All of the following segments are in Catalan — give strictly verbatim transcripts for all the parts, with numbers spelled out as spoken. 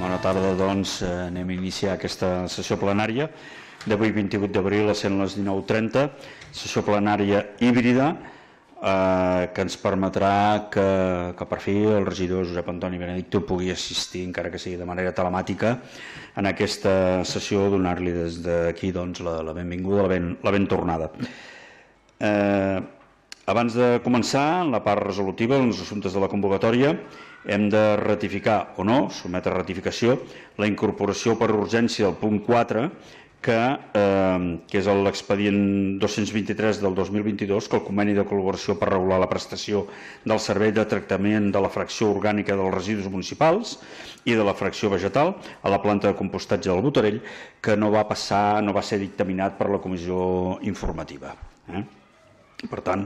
Bona tarda, doncs anem a iniciar aquesta sessió plenària d'avui vint-i-vuit d'abril a les dinou trenta, sessió plenària híbrida eh, que ens permetrà que, que per fi el regidor Josep Antoni Benedicto pugui assistir, encara que sigui de manera telemàtica, en aquesta sessió, donar-li des d'aquí doncs, la, la benvinguda, la ben, la ben tornada. Eh, abans de començar, en la part resolutiva, en els assumptes de la convocatòria, hem de ratificar o no, sotmetre a ratificació, la incorporació per urgència del punt quatre, que, eh, que és l'expedient dos-cents vint-i-tres del dos mil vint-i-dos, que el conveni de col·laboració per regular la prestació del servei de tractament de la fracció orgànica dels residus municipals i de la fracció vegetal a la planta de compostatge del Botarell, que no va passar, no va ser dictaminat per la comissió informativa. Eh? Per tant,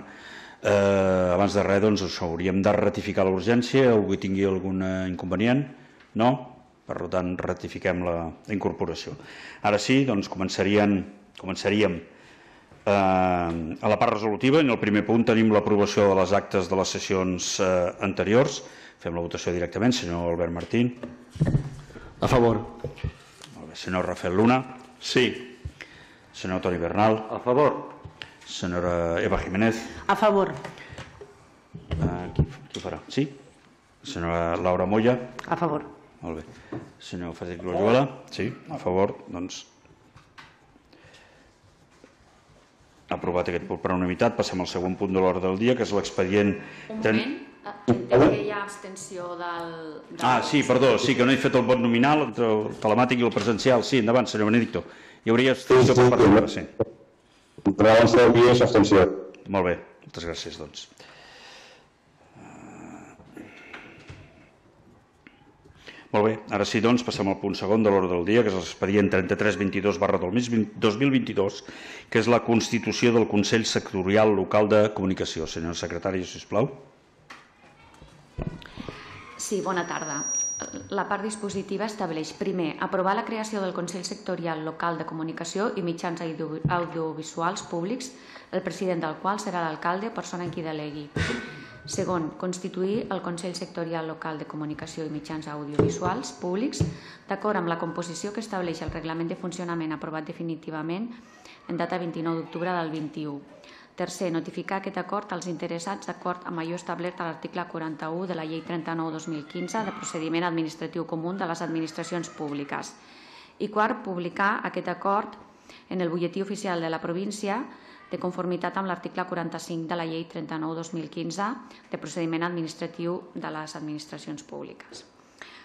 eh, abans de res, doncs, això, hauríem de ratificar la urgència. Algú hi tingui algun inconvenient? No? Per tant, ratifiquem la, la incorporació. Ara sí, doncs, començaríem, començaríem eh, a la part resolutiva. En el primer punt tenim l'aprovació de les actes de les sessions eh, anteriors. Fem la votació directament. Senyor Albert Martín. A favor. Molt bé. Senyor Rafael Luna. Sí. Senyor Toni Bernal. A favor. Senyora Eva Jiménez. A favor. Uh, qui, qui farà? Sí? Senyora Laura Moya. A favor. Molt bé. Senyor Frederic Loyola. Sí, a favor. Doncs, aprovat aquest punt per unanimitat. Passem al segon punt de l'ordre del dia, que és l'expedient... Un moment, entenc que hi ha abstenció del... del... Ah, sí, perdó, sí, que no he fet el vot nominal entre el telemàtic i el presencial. Sí, endavant, senyor Benedicto. Hi hauria abstenció per part de sí. Però abans de dir és abstenció. Molt bé, moltes gràcies, doncs. Molt bé, ara sí, doncs, passem al punt segon de l'ordre del dia, que és l'expedient trenta-tres vint-i-dos barra dos mil vint-i-dos, que és la constitució del Consell Sectorial Local de Comunicació. Senyor secretari, sisplau. Sí, bona tarda. La part dispositiva estableix, primer, aprovar la creació del Consell Sectorial Local de Comunicació i mitjans audiovisuals públics, el president del qual serà l'alcalde o persona en qui delegui. Segon, constituir el Consell Sectorial Local de Comunicació i mitjans audiovisuals públics d'acord amb la composició que estableix el reglament de funcionament aprovat definitivament en data vint-i-nou d'octubre del vint-i-u. Tercer, notificar aquest acord als interessats d'acord amb allò establert a l'article quaranta-u de la Llei trenta-nou dos mil quinze de procediment administratiu comú de les administracions públiques. I quart, publicar aquest acord en el butlletí oficial de la província de conformitat amb l'article quaranta-cinc de la Llei trenta-nou dos mil quinze de procediment administratiu de les administracions públiques.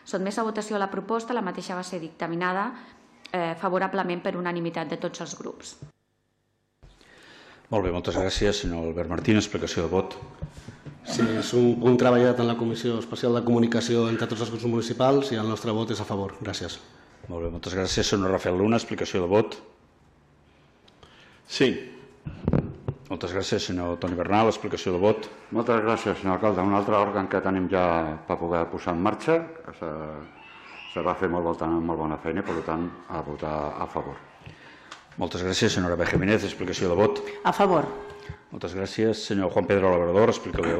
Sotmès a votació la proposta, la mateixa va ser dictaminada eh, favorablement per unanimitat de tots els grups. Molt bé, moltes gràcies, senyor Albert Martín. Explicació de vot. Sí, és un punt treballat en la Comissió Especial de Comunicació entre tots els grups municipals i el nostre vot és a favor. Gràcies. Molt bé, moltes gràcies. Senyor Rafael Luna, explicació de vot. Sí. Moltes gràcies, senyor Toni Bernal. Explicació de vot. Moltes gràcies, senyor alcalde. Un altre òrgan que tenim ja per poder posar en marxa. Se, se va fer molt, molt bona feina, per tant, a votar a favor. Moltes gràcies, senyora Eva Jiménez. Explicació de vot. A favor. Muchas gracias. Señor Juan Pedro Labrador, explicación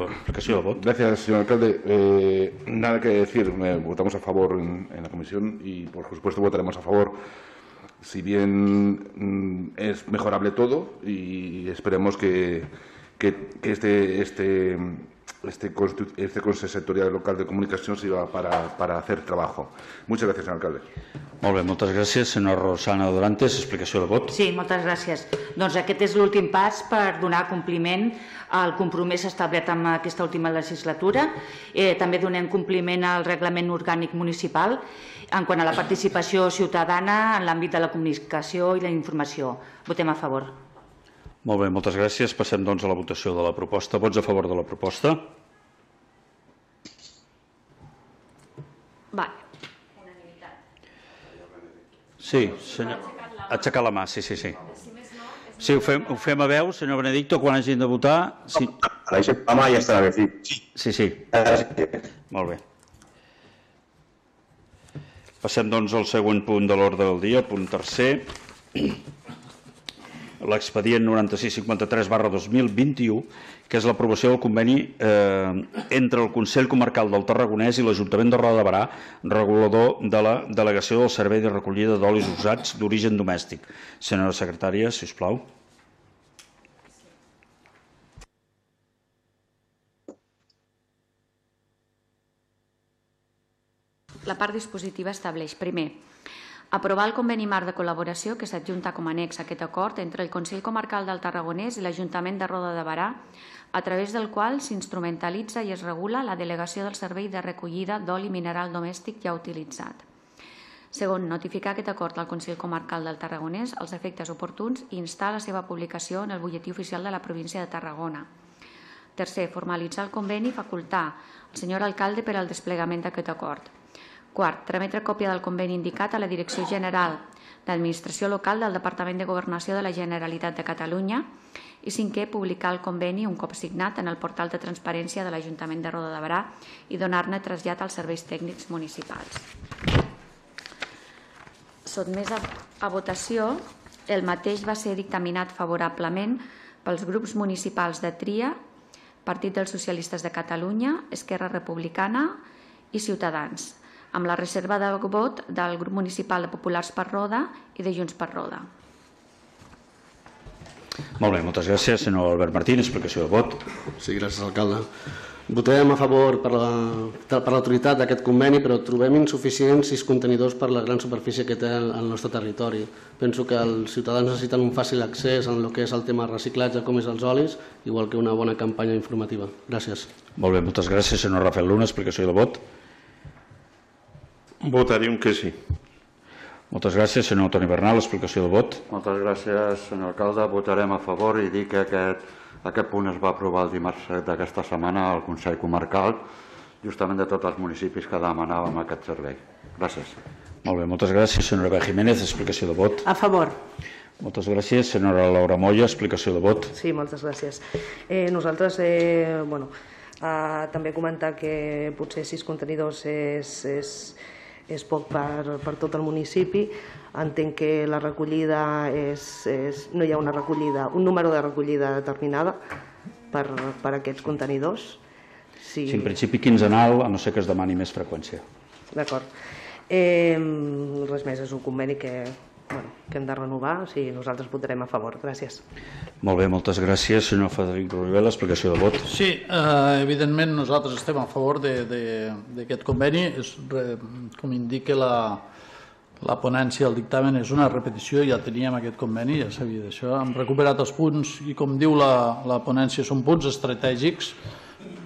de voto. Gracias, señor alcalde. Eh, nada que decir, eh, votamos a favor en, en la comisión y, por supuesto, votaremos a favor. Si bien mm, es mejorable todo y esperemos que, que, que este, este, este, este Consejo Sectorial Local de Comunicación sirva para, para hacer trabajo. Muchas gracias, señor alcalde. Molt bé, moltes gràcies. Senyora Rosana Dorantes, explicació de vot. Sí, moltes gràcies. Doncs aquest és l'últim pas per donar compliment al compromís establert en aquesta última legislatura. Eh, també donem compliment al reglament orgànic municipal en quant a la participació ciutadana en l'àmbit de la comunicació i la informació. Votem a favor. Molt bé, moltes gràcies. Passem doncs a la votació de la proposta. Vots a favor de la proposta? Vale. Sí, senyor. Aixecar la mà, sí, sí, sí. Sí, ho fem, ho fem a veu, senyor Benedicto, quan hagin de votar. Sí, La mà ja està bé, sí. sí. sí. Molt bé. Passem, doncs, al següent punt de l'ordre del dia, punt tercer. l'expedient noranta-sis cinquanta-tres barra dos mil vint-i-u, que és l'aprovació del conveni entre el Consell Comarcal del Tarragonès i l'Ajuntament de Roda de Barà, regulador de la delegació del Servei de Recollida d'Olis Usats d'Origen Domèstic. Senyora secretària, si us plau. La part dispositiva estableix, primer, aprovar el conveni marc de col·laboració que s'adjunta com a annex a aquest acord entre el Consell Comarcal del Tarragonès i l'Ajuntament de Roda de Barà, a través del qual s'instrumentalitza i es regula la delegació del servei de recollida d'oli mineral domèstic ja utilitzat. Segon, notificar aquest acord al Consell Comarcal del Tarragonès als efectes oportuns i instar la seva publicació en el butlletí oficial de la província de Tarragona. Tercer, formalitzar el conveni i facultar el senyor alcalde per al desplegament d'aquest acord. Quart, trametre còpia del conveni indicat a la Direcció General d'Administració Local del Departament de Governació de la Generalitat de Catalunya. I cinquè, publicar el conveni un cop signat en el portal de transparència de l'Ajuntament de Roda de Barà i donar-ne trasllat als serveis tècnics municipals. Sotmès a votació, el mateix va ser dictaminat favorablement pels grups municipals de Tria, Partit dels Socialistes de Catalunya, Esquerra Republicana i Ciutadans, amb la reserva de vot del grup municipal de Populars per Roda i de Junts per Roda. Molt bé, moltes gràcies. Senyor Albert Martín, explicació de vot. Sí, gràcies, alcalde. Votarem a favor per l'autoritat d'aquest conveni, però trobem insuficients sis contenidors per la gran superfície que té el nostre territori. Penso que els ciutadans necessiten un fàcil accés en el que és el tema de reciclatge, com és els olis, igual que una bona campanya informativa. Gràcies. Molt bé, moltes gràcies. Senyor Rafael Luna, explicació de vot. Votaríem que sí. Moltes gràcies. Senyor Toni Bernal, explicació de vot. Moltes gràcies, senyor alcalde. Votarem a favor i dir que aquest, aquest punt es va aprovar el dimarts d'aquesta setmana al Consell Comarcal, justament de tots els municipis que demanàvem aquest servei. Gràcies. Molt bé, moltes gràcies. Senyora Eva Jiménez, explicació de vot. A favor. Moltes gràcies. Senyora Laura Moya, explicació de vot. Sí, moltes gràcies. Eh, nosaltres, eh, bueno, eh, també comentar que potser sis contenidors és... és és poc per, per tot el municipi. Entenc que la recollida és, és, no hi ha una recollida, un número de recollida determinada per, per aquests contenidors. Sí. Sí, en principi quinzenal, a no ser que es demani més freqüència. D'acord. Eh, res més, és un conveni que, bueno, que hem de renovar, o sigui, nosaltres votarem a favor. Gràcies. Molt bé, moltes gràcies. Senyor Frederic Rivera, explicació de vot. Sí, eh, evidentment nosaltres estem a favor d'aquest conveni. És, com indica la, la ponència del dictamen, és una repetició, ja teníem aquest conveni, ja sabia d'això. Hem recuperat els punts i, com diu la, la ponència, són punts estratègics.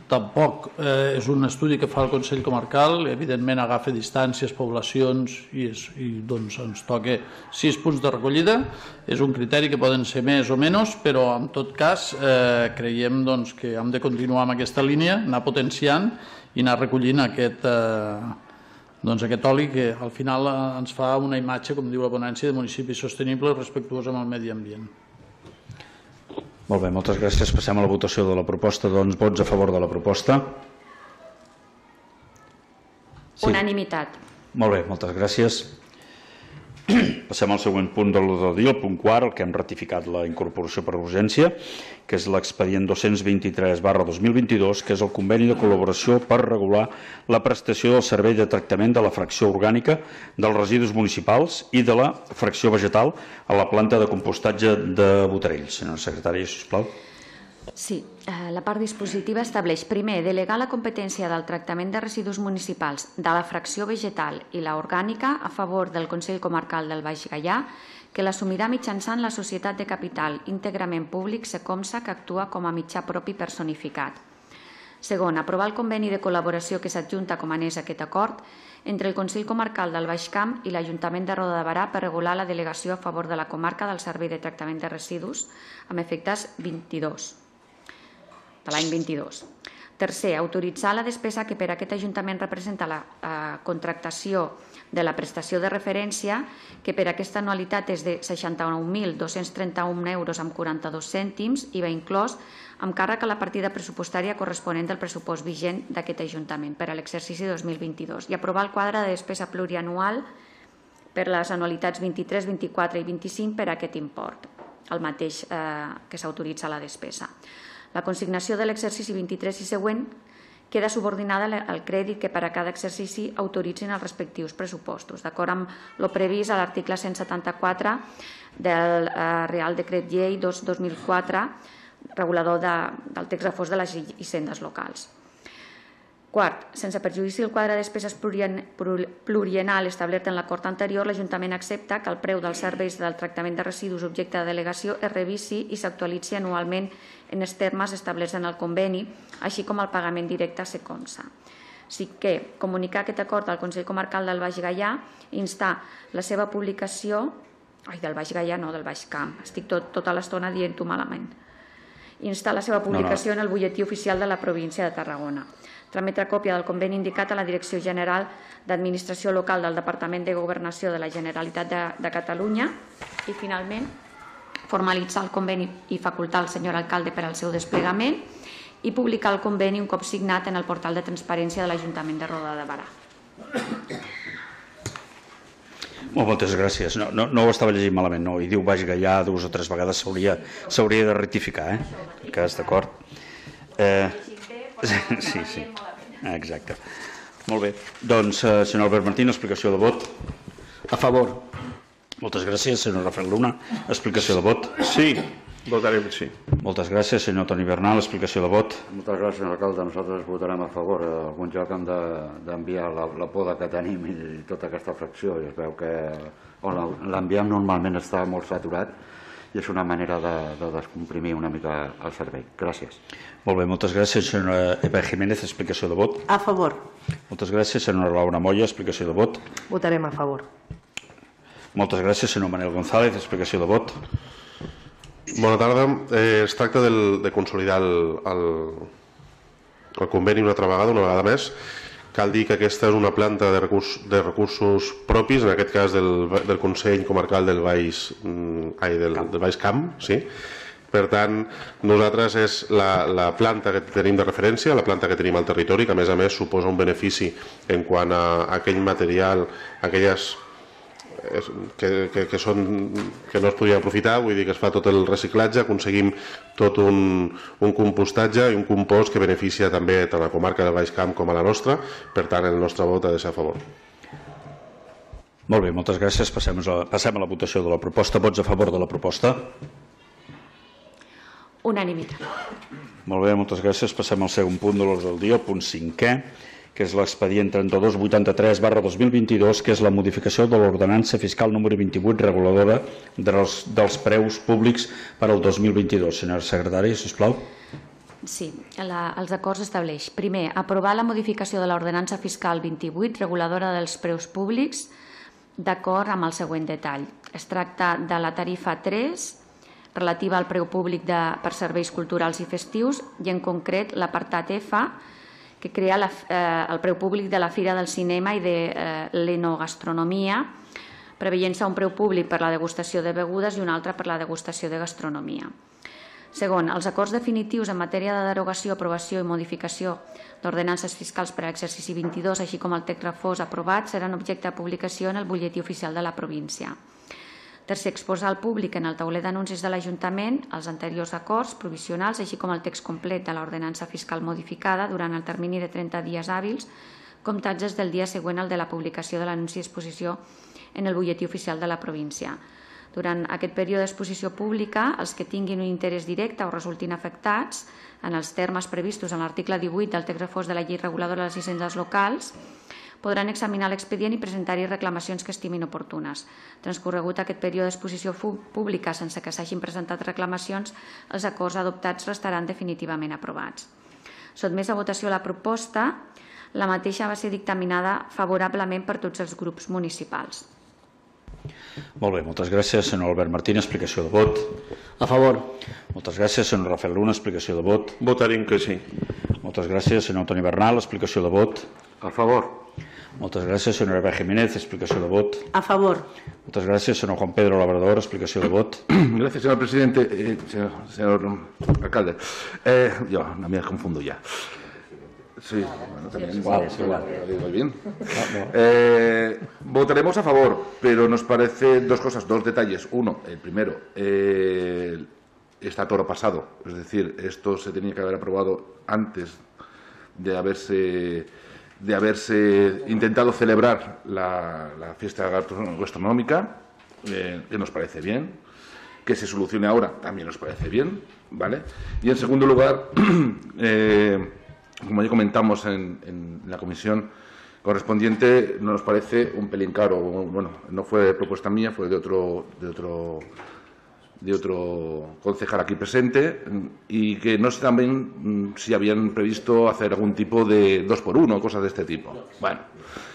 Tampoc eh, és un estudi que fa el Consell Comarcal, evidentment agafa distàncies, poblacions i, és, i doncs ens toca sis punts de recollida. És un criteri que poden ser més o menys, però en tot cas eh, creiem doncs, que hem de continuar amb aquesta línia, anar potenciant i anar recollint aquest, eh, doncs, aquest oli que al final ens fa una imatge, com diu la ponència, de municipi sostenible i respectuós amb el medi ambient. Molt bé, moltes gràcies. Passem a la votació de la proposta. Doncs vots a favor de la proposta. Sí. Unanimitat. Molt bé, moltes gràcies. Passem al següent punt de l'ordre del dia, el punt quart, el que hem ratificat la incorporació per urgència, que és l'expedient dos-cents vint-i-tres barra dos mil vint-i-dos, que és el conveni de col·laboració per regular la prestació del servei de tractament de la fracció orgànica dels residus municipals i de la fracció vegetal a la planta de compostatge de Botarell. Senyora secretària, sisplau. Sí, la part dispositiva estableix, primer, delegar la competència del tractament de residus municipals de la fracció vegetal i la orgànica a favor del Consell Comarcal del Baix Gaià, que l'assumirà mitjançant la societat de capital íntegrament públic Secomsa, que actua com a mitjà propi personificat. Segon, aprovar el conveni de col·laboració que s'adjunta com a annex a aquest acord entre el Consell Comarcal del Baix Camp i l'Ajuntament de Roda de Barà per regular la delegació a favor de la comarca del Servei de Tractament de Residus amb efectes vint-i-dos. de l'any vint-i-dos. Tercer, autoritzar la despesa que per aquest Ajuntament representa la eh, contractació de la prestació de referència, que per aquesta anualitat és de seixanta-nou mil dos-cents trenta-un euros amb quaranta-dos cèntims, I V A inclòs, amb càrrec a la partida pressupostària corresponent del pressupost vigent d'aquest Ajuntament per a l'exercici dos mil vint-i-dos i aprovar el quadre de despesa plurianual per les anualitats vint-i-tres, vint-i-quatre i vint-i-cinc per a aquest import. el mateix que s'autoritza la despesa. La consignació de l'exercici vint-i-tres i següent queda subordinada al crèdit que per a cada exercici autoritzin els respectius pressupostos, d'acord amb el previst a l'article cent setanta-quatre del Real Decret Llei dos dos mil quatre, regulador del text refós de les hisendes locals. Quart, sense perjudici del quadre de despeses pluriennal establert en l'acord anterior, l'Ajuntament accepta que el preu dels serveis del tractament de residus objecte de delegació es revisi i s'actualitzi anualment en els termes establerts en el conveni, així com el pagament directe a Seconsa. Sí que comunicar aquest acord al Consell Comarcal del Baix Gaià i instar la seva publicació... Ai, del Baix Gaià no, del Baix Camp. Estic tota l'estona dient-ho malament. Instar la seva publicació en el butlletí oficial de la província de Tarragona. Trametre còpia del conveni indicat a la Direcció General d'Administració Local del Departament de Governació de la Generalitat de Catalunya i, finalment, formalitzar el conveni i facultar el senyor alcalde per al seu desplegament i publicar el conveni un cop signat en el portal de transparència de l'Ajuntament de Roda de Barà. Moltes gràcies. No, no, no ho estava llegint malament, no. I diu Baix Gaià dues o tres vegades, s'hauria de rectificar, eh? Que és d'acord. Eh... Sí, sí, exacte. Molt bé. Doncs, senyor Albert Martín, explicació de vot. A favor. Moltes gràcies, senyor Rafael Luna. Explicació de vot. Sí, votarem sí. Moltes gràcies, senyor Toni Bernal. Explicació de vot. Moltes gràcies, senyor alcalde. Nosaltres votarem a favor. A algun lloc hem d'enviar la poda que tenim i tota aquesta fracció. I es veu que l'enviem normalment està molt saturat i és una manera de descomprimir una mica el servei. Gràcies. Molt bé, moltes gràcies, senyora Eva Jiménez. Explicació de vot. A favor. Moltes gràcies, senyora Laura Moya. Explicació de vot. Votarem a favor. Moltes gràcies, senyor Manel González. Explicació de vot. Bona tarda. Es tracta de consolidar el conveni una altra vegada, una vegada més. Cal dir que aquesta és una planta de recursos propis, en aquest cas del Consell Comarcal del Baix Camp. Per tant, nosaltres és la planta que tenim de referència, la planta que tenim al territori, que a més a més suposa un benefici en quant a aquell material, aquelles que no es podria aprofitar, vull dir que es fa tot el reciclatge, aconseguim tot un compostatge i un compost que beneficia també tant a la comarca del Baix Camp com a la nostra. Per tant, el nostre vot ha de ser a favor. Molt bé, moltes gràcies. Passem a la votació de la proposta. Vots a favor de la proposta? Unanimitat. Molt bé, moltes gràcies. Passem al segon punt de l'ordre del dia, el punt cinquè, que és l'expedient trenta-dos vuitanta-tres barra dos mil vint-i-dos, que és la modificació de l'ordenança fiscal número vint-i-vuit reguladora dels preus públics per al dos mil vint-i-dos. Senyora secretària, sisplau. Sí, els acords estableix. Primer, aprovar la modificació de l'ordenança fiscal vint-i-vuit reguladora dels preus públics d'acord amb el següent detall. Es tracta de la tarifa tres relativa al preu públic per serveis culturals i festius i en concret l'apartat F que crea el preu públic de la Fira del Cinema i de l'Enogastronomia, preveient-se un preu públic per la degustació de begudes i un altre per la degustació de gastronomia. Segon, els acords definitius en matèria de derogació, aprovació i modificació d'ordenances fiscals per a l'exercici vint-i-dos, així com el text refós aprovat, seran objecte de publicació en el butlletí oficial de la província. Tercer, exposar al públic en el tauler d'anuncis de l'Ajuntament els anteriors acords provisionals, així com el text complet de l'ordenança fiscal modificada durant el termini de trenta dies hàbils, comptats des del dia següent al de la publicació de l'anunci d'exposició en el butlletí oficial de la província. Durant aquest període d'exposició pública, els que tinguin un interès directe o resultin afectats, en els termes previstos en l'article divuit del text refós de la llei reguladora de les hisendes locals, podran examinar l'expedient i presentar-hi reclamacions que estimin oportunes. Transcorregut aquest període d'exposició pública sense que s'hagin presentat reclamacions, els acords adoptats restaran definitivament aprovats. Sotmès a votació la proposta, la mateixa va ser dictaminada favorablement per tots els grups municipals. Molt bé, moltes gràcies, senyor Albert Martín. Explicació de vot. A favor. Moltes gràcies, senyor Rafael Luna. Explicació de vot. Votarem que sí. Moltes gràcies, senyor Toni Bernal. Explicació de vot. A favor. Moltes gràcies, senyora Eva Jiménez. Explicació de vot. A favor. Moltes gràcies, senyor Juan Pedro Labrador. Explicació de vot. Gracias, señor presidente. Eh, señor, señor alcalde. Eh, yo no me confundo ya. Sí, bueno, también. Igual, igual, lo digo bien. Eh, votaremos a favor, pero nos parece dos cosas, dos detalles. Uno, el primero, eh, está todo pasado. Es decir, esto se tenía que haber aprobado antes de haberse, de haberse intentado celebrar la, la fiesta gastronómica, eh, que nos parece bien. Que se solucione ahora también nos parece bien, ¿vale? Y en segundo lugar, eh, como ya comentamos en, en la comisión correspondiente, nos parece un pelín caro. Bueno, no fue propuesta mía, fue de otro, de otro, de otro concejal aquí presente, y que no sé también si habían previsto hacer algún tipo de dos por uno o cosas de este tipo. Bueno,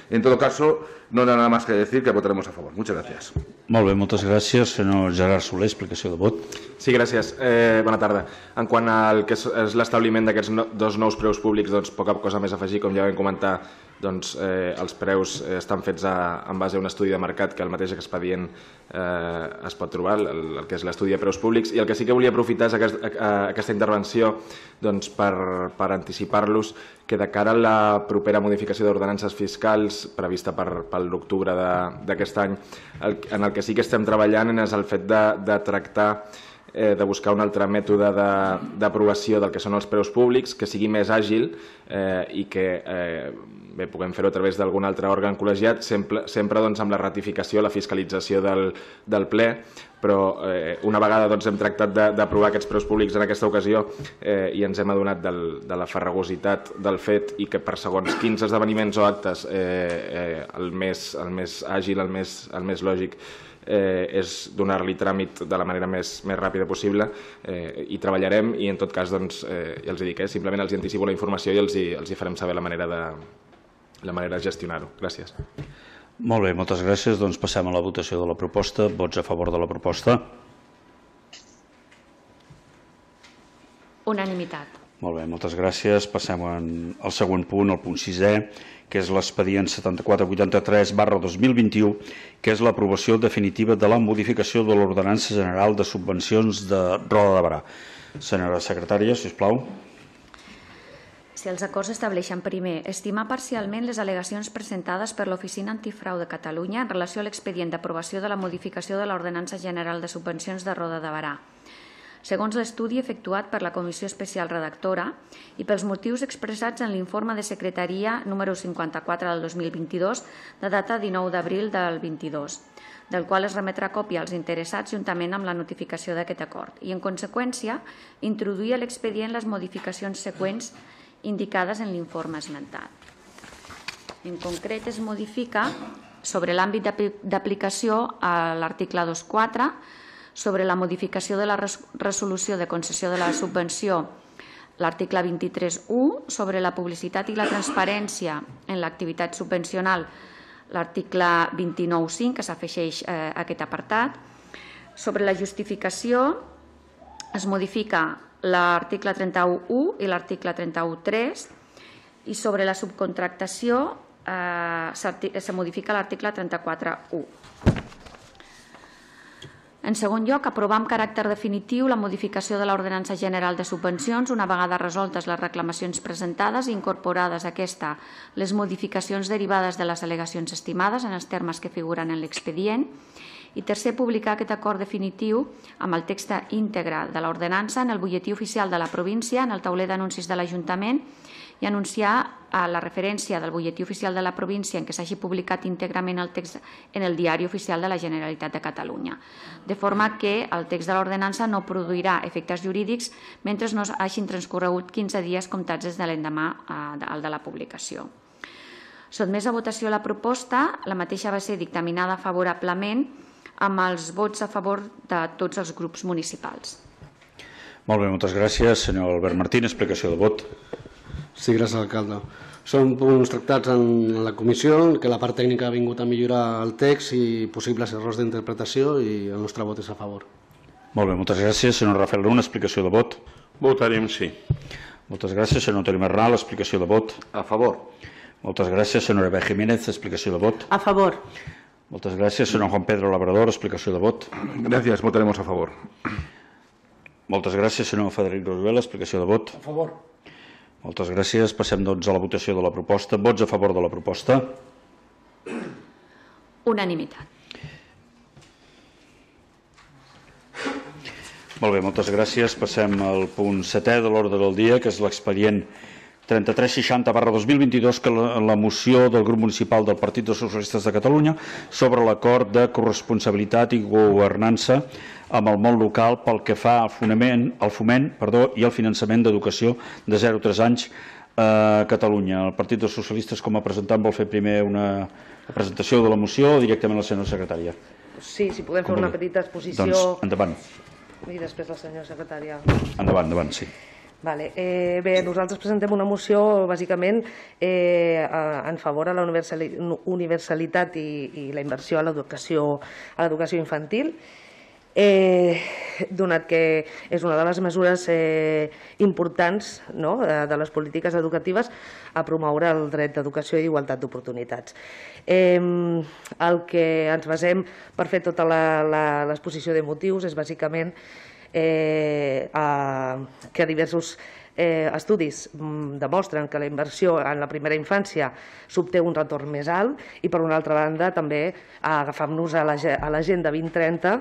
en todo caso, no hay nada más que decir que votaremos a favor. Muchas gracias. Molt bé, moltes gràcies. Senyor Gerard Soler, explicació de vot. Sí, gràcies. Eh, bona tarda. En quant al que és, és l'establiment d'aquests no, dos nous preus públics, doncs poca cosa més a afegir. Com ja vam comentar, doncs, eh, els preus eh, estan fets a, en base a un estudi de mercat que el mateix expedient eh, es pot trobar, el, el que és l'estudi de preus públics. I el que sí que volia aprofitar és aquest, a, a, aquesta intervenció doncs, per, per anticipar-los que de cara a la propera modificació d'ordenances fiscals prevista per, per l'octubre d'aquest any, el, en el que sí que estem treballant és el fet de, de tractar eh, de buscar un altre mètode d'aprovació del que són els preus públics, que sigui més àgil eh, i que eh, bé, puguem fer-ho a través d'algun altre òrgan col·legiat, sempre, sempre doncs, amb la ratificació, la fiscalització del, del ple, però eh, una vegada doncs, hem tractat d'aprovar aquests preus públics en aquesta ocasió eh, i ens hem adonat del, de la farragositat del fet i que per segons quins esdeveniments o actes eh, eh, el, més, el més àgil, el més, el més lògic eh, és donar-li tràmit de la manera més, més ràpida possible eh, i treballarem i en tot cas doncs, eh, ja els dic, eh, simplement els anticipo la informació i els hi, els hi farem saber la manera de, la manera de gestionar-ho. Gràcies. Molt bé, moltes gràcies. Doncs passem a la votació de la proposta. Vots a favor de la proposta? Unanimitat. Molt bé, moltes gràcies. Passem al següent punt, el punt sisè, que és l'expedient setanta-quatre vuitanta-tres barra dos mil vint-i-u, que és l'aprovació definitiva de la modificació de l'Ordenança General de Subvencions de Roda de Berà. Senyora secretària, si us plau. Si els acords estableixen, primer, estimar parcialment les al·legacions presentades per l'Oficina Antifrau de Catalunya en relació a l'expedient d'aprovació de la modificació de l'Ordenança General de Subvencions de Roda de Berà. Segons l'estudi efectuat per la Comissió Especial Redactora i pels motius expressats en l'informe de secretaria número cinquanta-quatre del dos mil vint-i-dos, de data dinou d'abril del vint-i-dos, del qual es remetrà còpia als interessats juntament amb la notificació d'aquest acord, i, en conseqüència, introduir a l'expedient les modificacions següents indicades en l'informe esmentat. En concret, es modifica sobre l'àmbit d'aplicació a l'article dos punt quatre, sobre la modificació de la resolució de concessió de la subvenció, l'article vint-i-tres punt u, sobre la publicitat i la transparència en l'activitat subvencional, l'article vint-i-nou punt cinc, que s'afegeix a aquest apartat. Sobre la justificació es modifica l'article trenta-u punt u i l'article trenta-u punt tres, i sobre la subcontractació eh, se modifica l'article trenta-quatre punt u. En segon lloc, aprovar amb caràcter definitiu la modificació de l'Ordenança General de Subvencions una vegada resoltes les reclamacions presentades i incorporades a aquesta les modificacions derivades de les al·legacions estimades en els termes que figuren en l'expedient. I tercer, publicar aquest acord definitiu amb el text íntegre de l'ordenança en el butlletí oficial de la província, en el tauler d'anuncis de l'Ajuntament, i anunciar la referència del butlletí oficial de la província en què s'hagi publicat íntegrament el text en el Diari Oficial de la Generalitat de Catalunya, de forma que el text de l'ordenança no produirà efectes jurídics mentre no hagin transcorregut quinze dies comptats des de l'endemà al de la publicació. Sotmès a votació la proposta, la mateixa va ser dictaminada favorablement amb els vots a favor de tots els grups municipals. Molt bé, moltes gràcies. Senyor Albert Martín, explicació de vot. Sí, gràcies, alcalde. Són punts tractats en la comissió, que la part tècnica ha vingut a millorar el text i possibles errors d'interpretació, i el nostre vot és a favor. Molt bé, moltes gràcies. Senyor Rafael Luna, explicació de vot. Votarem sí. Moltes gràcies. Senyor Toni Marral, explicació de vot. A favor. Moltes gràcies. Senyor Eva Jiménez, explicació de vot. A favor. Moltes gràcies. Senyor Juan Pedro Labrador, explicació de vot. Gràcies, votaremos a favor. Moltes gràcies. Senyor Frederic Rosuel, explicació de vot. A favor. Moltes gràcies. Passem doncs a la votació de la proposta. Vots a favor de la proposta? Unanimitat. Molt bé, moltes gràcies. Passem al punt setè de l'ordre del dia, que és l'expedient trenta-tres seixanta barra dos mil vint-i-dos, que la, la moció del grup municipal del Partit dels Socialistes de Catalunya sobre l'acord de corresponsabilitat i governança amb el món local pel que fa al foment, al foment perdó, i al finançament d'educació de zero a tres anys a Catalunya. El Partit dels Socialistes, com a presentant, vol fer primer una presentació de la moció o directament la senyora secretària? Sí, si podem fer una petita exposició... Doncs endavant. I després la senyora secretària. Endavant, endavant, sí. Vale. Eh, bé, nosaltres presentem una moció bàsicament eh, en favor a la universalitat i, i la inversió a l'educació a l'educació infantil, eh, donat que és una de les mesures eh, importants, no?, de, de les polítiques educatives a promoure el dret d'educació i igualtat d'oportunitats. Eh, el que ens basem per fer tota l'exposició de motius és bàsicament Eh, a, que diversos eh, estudis mm, demostren que la inversió en la primera infància s'obté un retorn més alt i, per una altra banda, també agafant-nos a l'agenda vint trenta,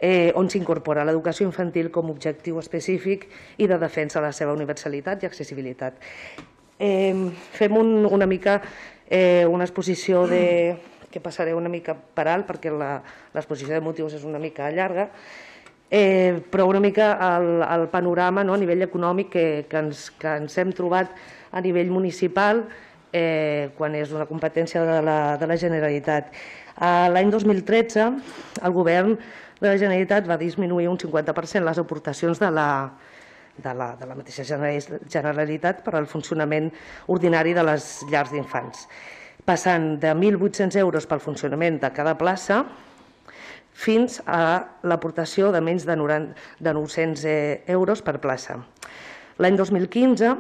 eh, on s'incorpora l'educació infantil com a objectiu específic i de defensa de la seva universalitat i accessibilitat. Eh, fem un, una mica eh, una exposició de, que passaré una mica per alt perquè l'exposició de motius és una mica llarga, Eh, però una mica el, el panorama, no?, a nivell econòmic que, que, ens, que ens hem trobat a nivell municipal eh, quan és una competència de la, de la Generalitat. L'any dos mil tretze el govern de la Generalitat va disminuir un cinquanta per cent les aportacions de la, de la, de la mateixa Generalitat per al funcionament ordinari de les llars d'infants, passant de mil vuit-cents euros pel funcionament de cada plaça fins a l'aportació de menys de nou-cents euros per plaça. L'any dos mil quinze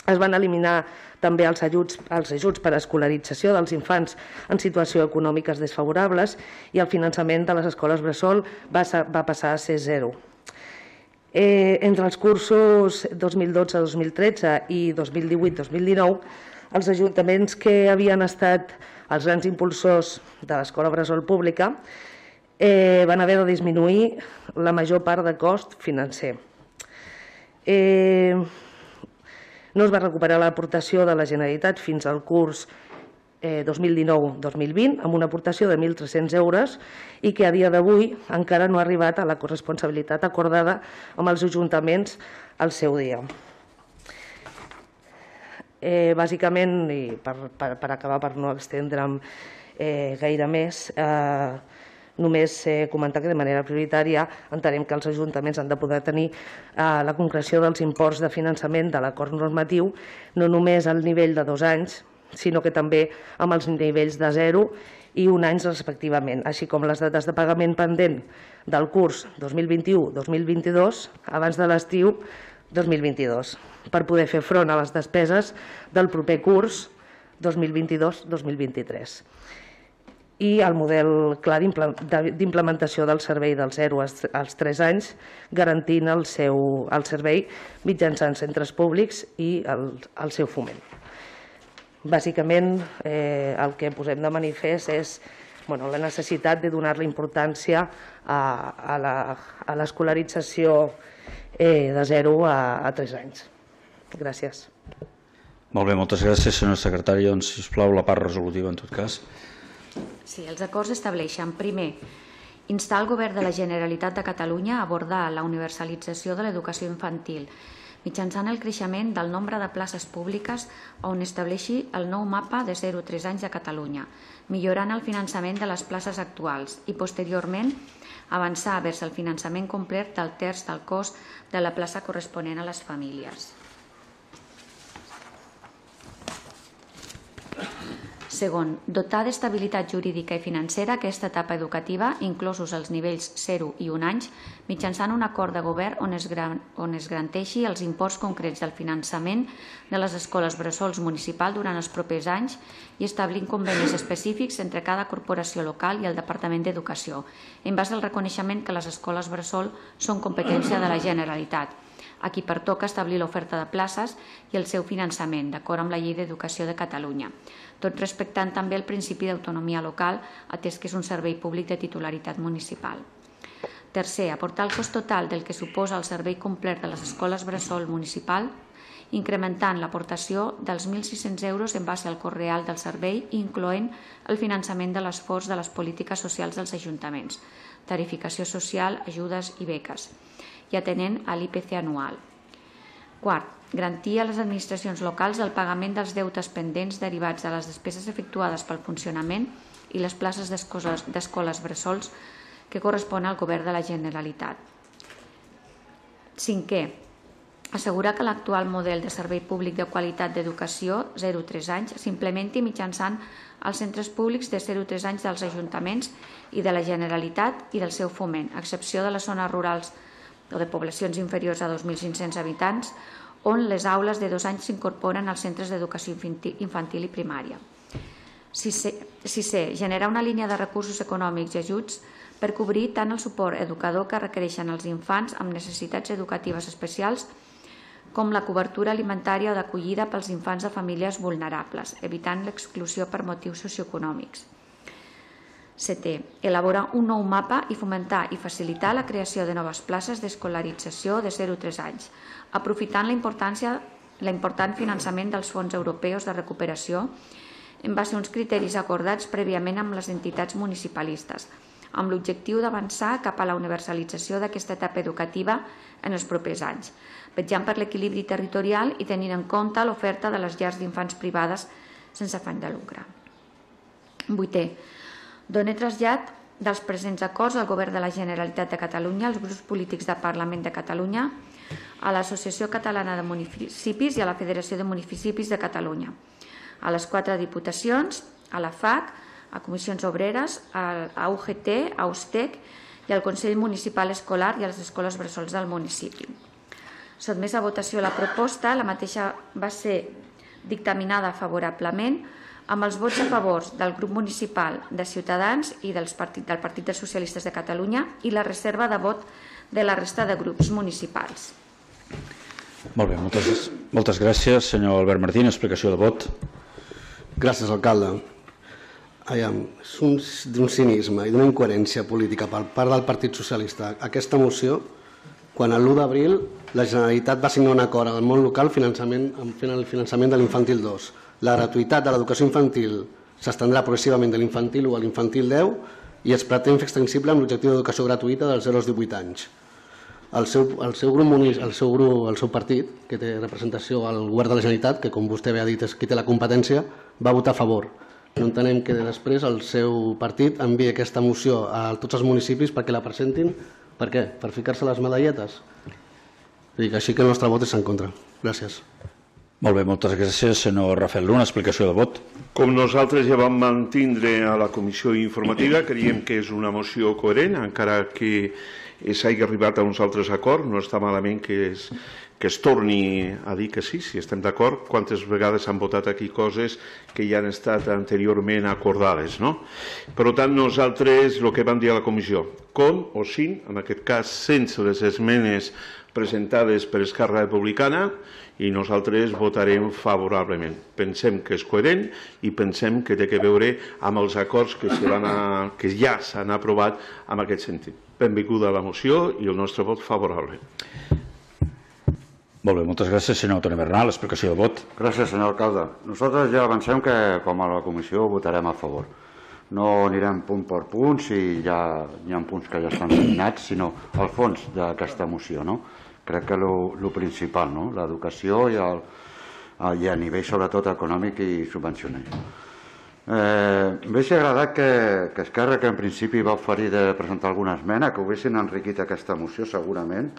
es van eliminar també els ajuts, els ajuts per a escolarització dels infants en situació econòmiques desfavorables i el finançament de les escoles bressol va, va passar a ser zero. Eh, entre els cursos dos mil dotze dos mil tretze i dos mil divuit dos mil dinou, els ajuntaments que havien estat els grans impulsors de l'escola bressol pública Eh, van haver de disminuir la major part de cost financer. Eh, no es va recuperar l'aportació de la Generalitat fins al curs eh, dos mil dinou dos mil vint amb una aportació de mil tres-cents euros i que a dia d'avui encara no ha arribat a la corresponsabilitat acordada amb els ajuntaments al seu dia. Eh, bàsicament, i per, per, per acabar, per no extendre'm eh, gaire més, eh, només eh, comentar que de manera prioritària entenem que els ajuntaments han de poder tenir eh, la concreció dels imports de finançament de l'acord normatiu, no només al nivell de dos anys, sinó que també amb els nivells de zero i un any respectivament, així com les dates de pagament pendent del curs dos mil vint-i-u dos mil vint-i-dos abans de l'estiu dos mil vint-i-dos, per poder fer front a les despeses del proper curs dos mil vint-i-dos dos mil vint-i-tres. I el model clar d'implementació del servei del zero als tres anys, garantint el seu el servei mitjançant centres públics i el, el seu foment. Bàsicament, eh, el que posem de manifest és bueno, la necessitat de donar-li importància a, a l'escolarització eh, de zero a, a tres anys. Gràcies. Molt bé, moltes gràcies, senyora secretària. Doncs, sisplau, la part resolutiva, en tot cas. Sí, els acords estableixen, primer, instar el Govern de la Generalitat de Catalunya a abordar la universalització de l'educació infantil mitjançant el creixement del nombre de places públiques on estableixi el nou mapa de zero a tres anys a Catalunya, millorant el finançament de les places actuals i, posteriorment, avançar vers el finançament complet del terç del cost de la plaça corresponent a les famílies. Segon, dotar d'estabilitat jurídica i financera aquesta etapa educativa, inclosos els nivells zero i un anys, mitjançant un acord de govern on es, gran, on es garanteixi els imports concrets del finançament de les escoles bressols municipal durant els propers anys i establint convenis específics entre cada corporació local i el Departament d'Educació, en base al reconeixement que les escoles bressol són competència de la Generalitat, a qui pertoca establir l'oferta de places i el seu finançament, d'acord amb la Llei d'Educació de Catalunya, tot respectant també el principi d'autonomia local, atès que és un servei públic de titularitat municipal. Tercer, aportar el cost total del que suposa el servei complet de les escoles bressol municipal, incrementant l'aportació dels mil sis-cents euros en base al cost real del servei, incloent el finançament de l'esforç de les polítiques socials dels ajuntaments, tarificació social, ajudes i beques, i atenent a l'I P C anual. Quart, garantir a les administracions locals el pagament dels deutes pendents derivats de les despeses efectuades pel funcionament i les places d'escoles bressols que correspon al Govern de la Generalitat. Cinquè, assegurar que l'actual model de servei públic de qualitat d'educació zero a tres anys s'implementi mitjançant els centres públics de zero a tres anys dels ajuntaments i de la Generalitat i del seu foment, a excepció de les zones rurals o de poblacions inferiors a dos mil cinc-cents habitants, on les aules de dos anys s'incorporen als centres d'educació infantil i primària. Sisè, generar una línia de recursos econòmics i ajuts per cobrir tant el suport educador que requereixen els infants amb necessitats educatives especials com la cobertura alimentària o d'acollida pels infants de famílies vulnerables, evitant l'exclusió per motius socioeconòmics. Setè, elaborar un nou mapa i fomentar i facilitar la creació de noves places d'escolarització de zero a tres anys, aprofitant la importància, l'important finançament dels fons europeus de recuperació en base a uns criteris acordats prèviament amb les entitats municipalistes, amb l'objectiu d'avançar cap a la universalització d'aquesta etapa educativa en els propers anys, vetllant per l'equilibri territorial i tenint en compte l'oferta de les llars d'infants privades sense afany de lucre. Vuitè, donar trasllat dels presents acords al Govern de la Generalitat de Catalunya, als grups polítics del Parlament de Catalunya, a l'Associació Catalana de Municipis i a la Federació de Municipis de Catalunya, a les quatre diputacions, a la F A C, a Comissions Obreres, a U G T, a U S T E C i al Consell Municipal Escolar i a les escoles bressols del municipi. Sotmès a votació la proposta, la mateixa va ser dictaminada favorablement amb els vots a favor del grup municipal de Ciutadans i del Partit dels Socialistes de Catalunya i la reserva de vot de la resta de grups municipals. Molt bé, moltes, moltes gràcies. Senyor Albert Martín, explicació de vot. Gràcies, alcalde. Aviam, és d'un cinisme i d'una incoherència política per part del Partit Socialista. Aquesta moció, quan l'u d'abril la Generalitat va signar un acord amb el món local amb el finançament de l'infantil dos. La gratuïtat de l'educació infantil s'estendrà progressivament de l'infantil u a l'infantil deu i es pretén fer extensible amb l'objectiu d'educació gratuïta dels zero als divuit anys. El seu, el seu grup, el seu grup, el seu partit, que té representació al govern de la Generalitat, que com vostè bé ha dit és qui té la competència, va votar a favor. No entenem que després el seu partit enviï aquesta moció a tots els municipis perquè la presentin. Per què? Per ficar-se les medalletes? Així que el nostre vot és en contra. Gràcies. Molt bé, moltes gràcies. Senyor Rafael Luna, explicació de vot. Com nosaltres ja vam mantindre a la comissió informativa, creiem que és una moció coherent, encara que s'hagi arribat a uns altres acords, no està malament que es, que es torni a dir que sí, si estem d'acord. Quantes vegades han votat aquí coses que ja han estat anteriorment acordades, no? Per tant, nosaltres el que vam dir a la comissió, com o sin, en aquest cas sense les esmenes presentades per Esquerra Republicana, i nosaltres votarem favorablement. Pensem que és coherent i pensem que té a veure amb els acords que, van a, que ja s'han aprovat en aquest sentit. Benvinguda a la moció i el nostre vot favorable. Molt bé, moltes gràcies. Senyor Toni Bernal, explicació de vot. Gràcies, senyor alcalde. Nosaltres ja avancem que, com a la comissió, votarem a favor. No anirem punt per punt si ja hi ha punts que ja estan signats, sinó al fons d'aquesta moció, no? Crec que el principal, no? L'educació i, el, i a nivell sobretot econòmic i subvencional. Eh, M'hauria agradat que, que Esquerra, que en principi va oferir de presentar alguna esmena, que ho haguessin enriquit aquesta moció segurament,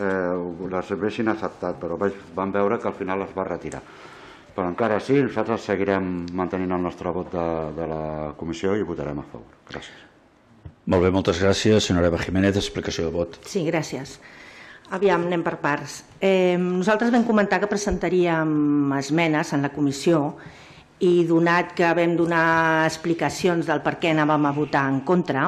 eh, les haguessin acceptat, però vam veure que al final les va retirar. Però encara sí, nosaltres seguirem mantenint el nostre vot de, de la comissió i votarem a favor. Gràcies. Molt bé, moltes gràcies. Senyora Eva Jiménez, explicació de vot. Sí, gràcies. Aviam, anem per parts. Eh, nosaltres vam comentar que presentaríem esmenes en la comissió i donat que vam donar explicacions del per què anàvem a votar en contra,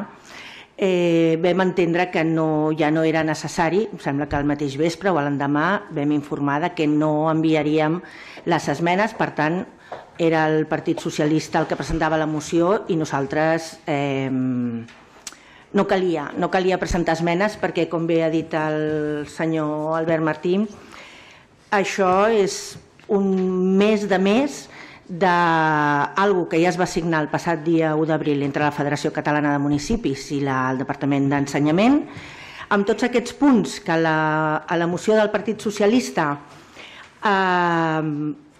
eh, vam entendre que no, ja no era necessari, em sembla que el mateix vespre o l'endemà vam informar que no enviaríem les esmenes, per tant era el Partit Socialista el que presentava la moció i nosaltres eh, no calia, no calia presentar esmenes perquè, com bé ha dit el senyor Albert Martí, això és un mes de més d'alguna que ja es va signar el passat dia u d'abril entre la Federació Catalana de Municipis i la, el Departament d'Ensenyament, amb tots aquests punts que la, a la moció del Partit Socialista eh,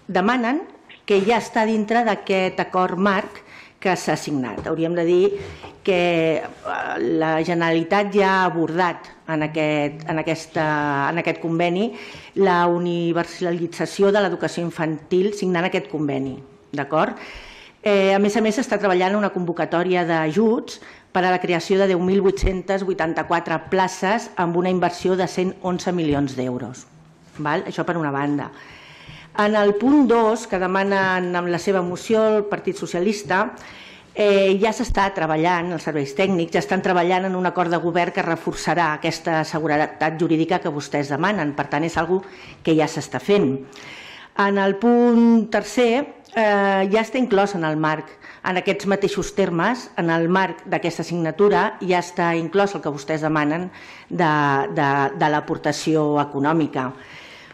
demanen que ja està dintre d'aquest acord marc que s'ha signat. Hauríem de dir que la Generalitat ja ha abordat en aquest, en aquesta, en aquest conveni la universalització de l'educació infantil signant aquest conveni. D'acord? Eh, a més a més, s'està treballant una convocatòria d'ajuts per a la creació de deu mil vuit-cents vuitanta-quatre places amb una inversió de cent onze milions d'euros. Això per una banda. En el punt dos, que demanen amb la seva moció el Partit Socialista, eh, ja s'està treballant, els serveis tècnics ja estan treballant en un acord de govern que reforçarà aquesta seguretat jurídica que vostès demanen. Per tant, és una cosa que ja s'està fent. En el punt tercer, eh, ja està inclòs en el marc, en aquests mateixos termes, en el marc d'aquesta assignatura, ja està inclòs el que vostès demanen de, de, de l'aportació econòmica.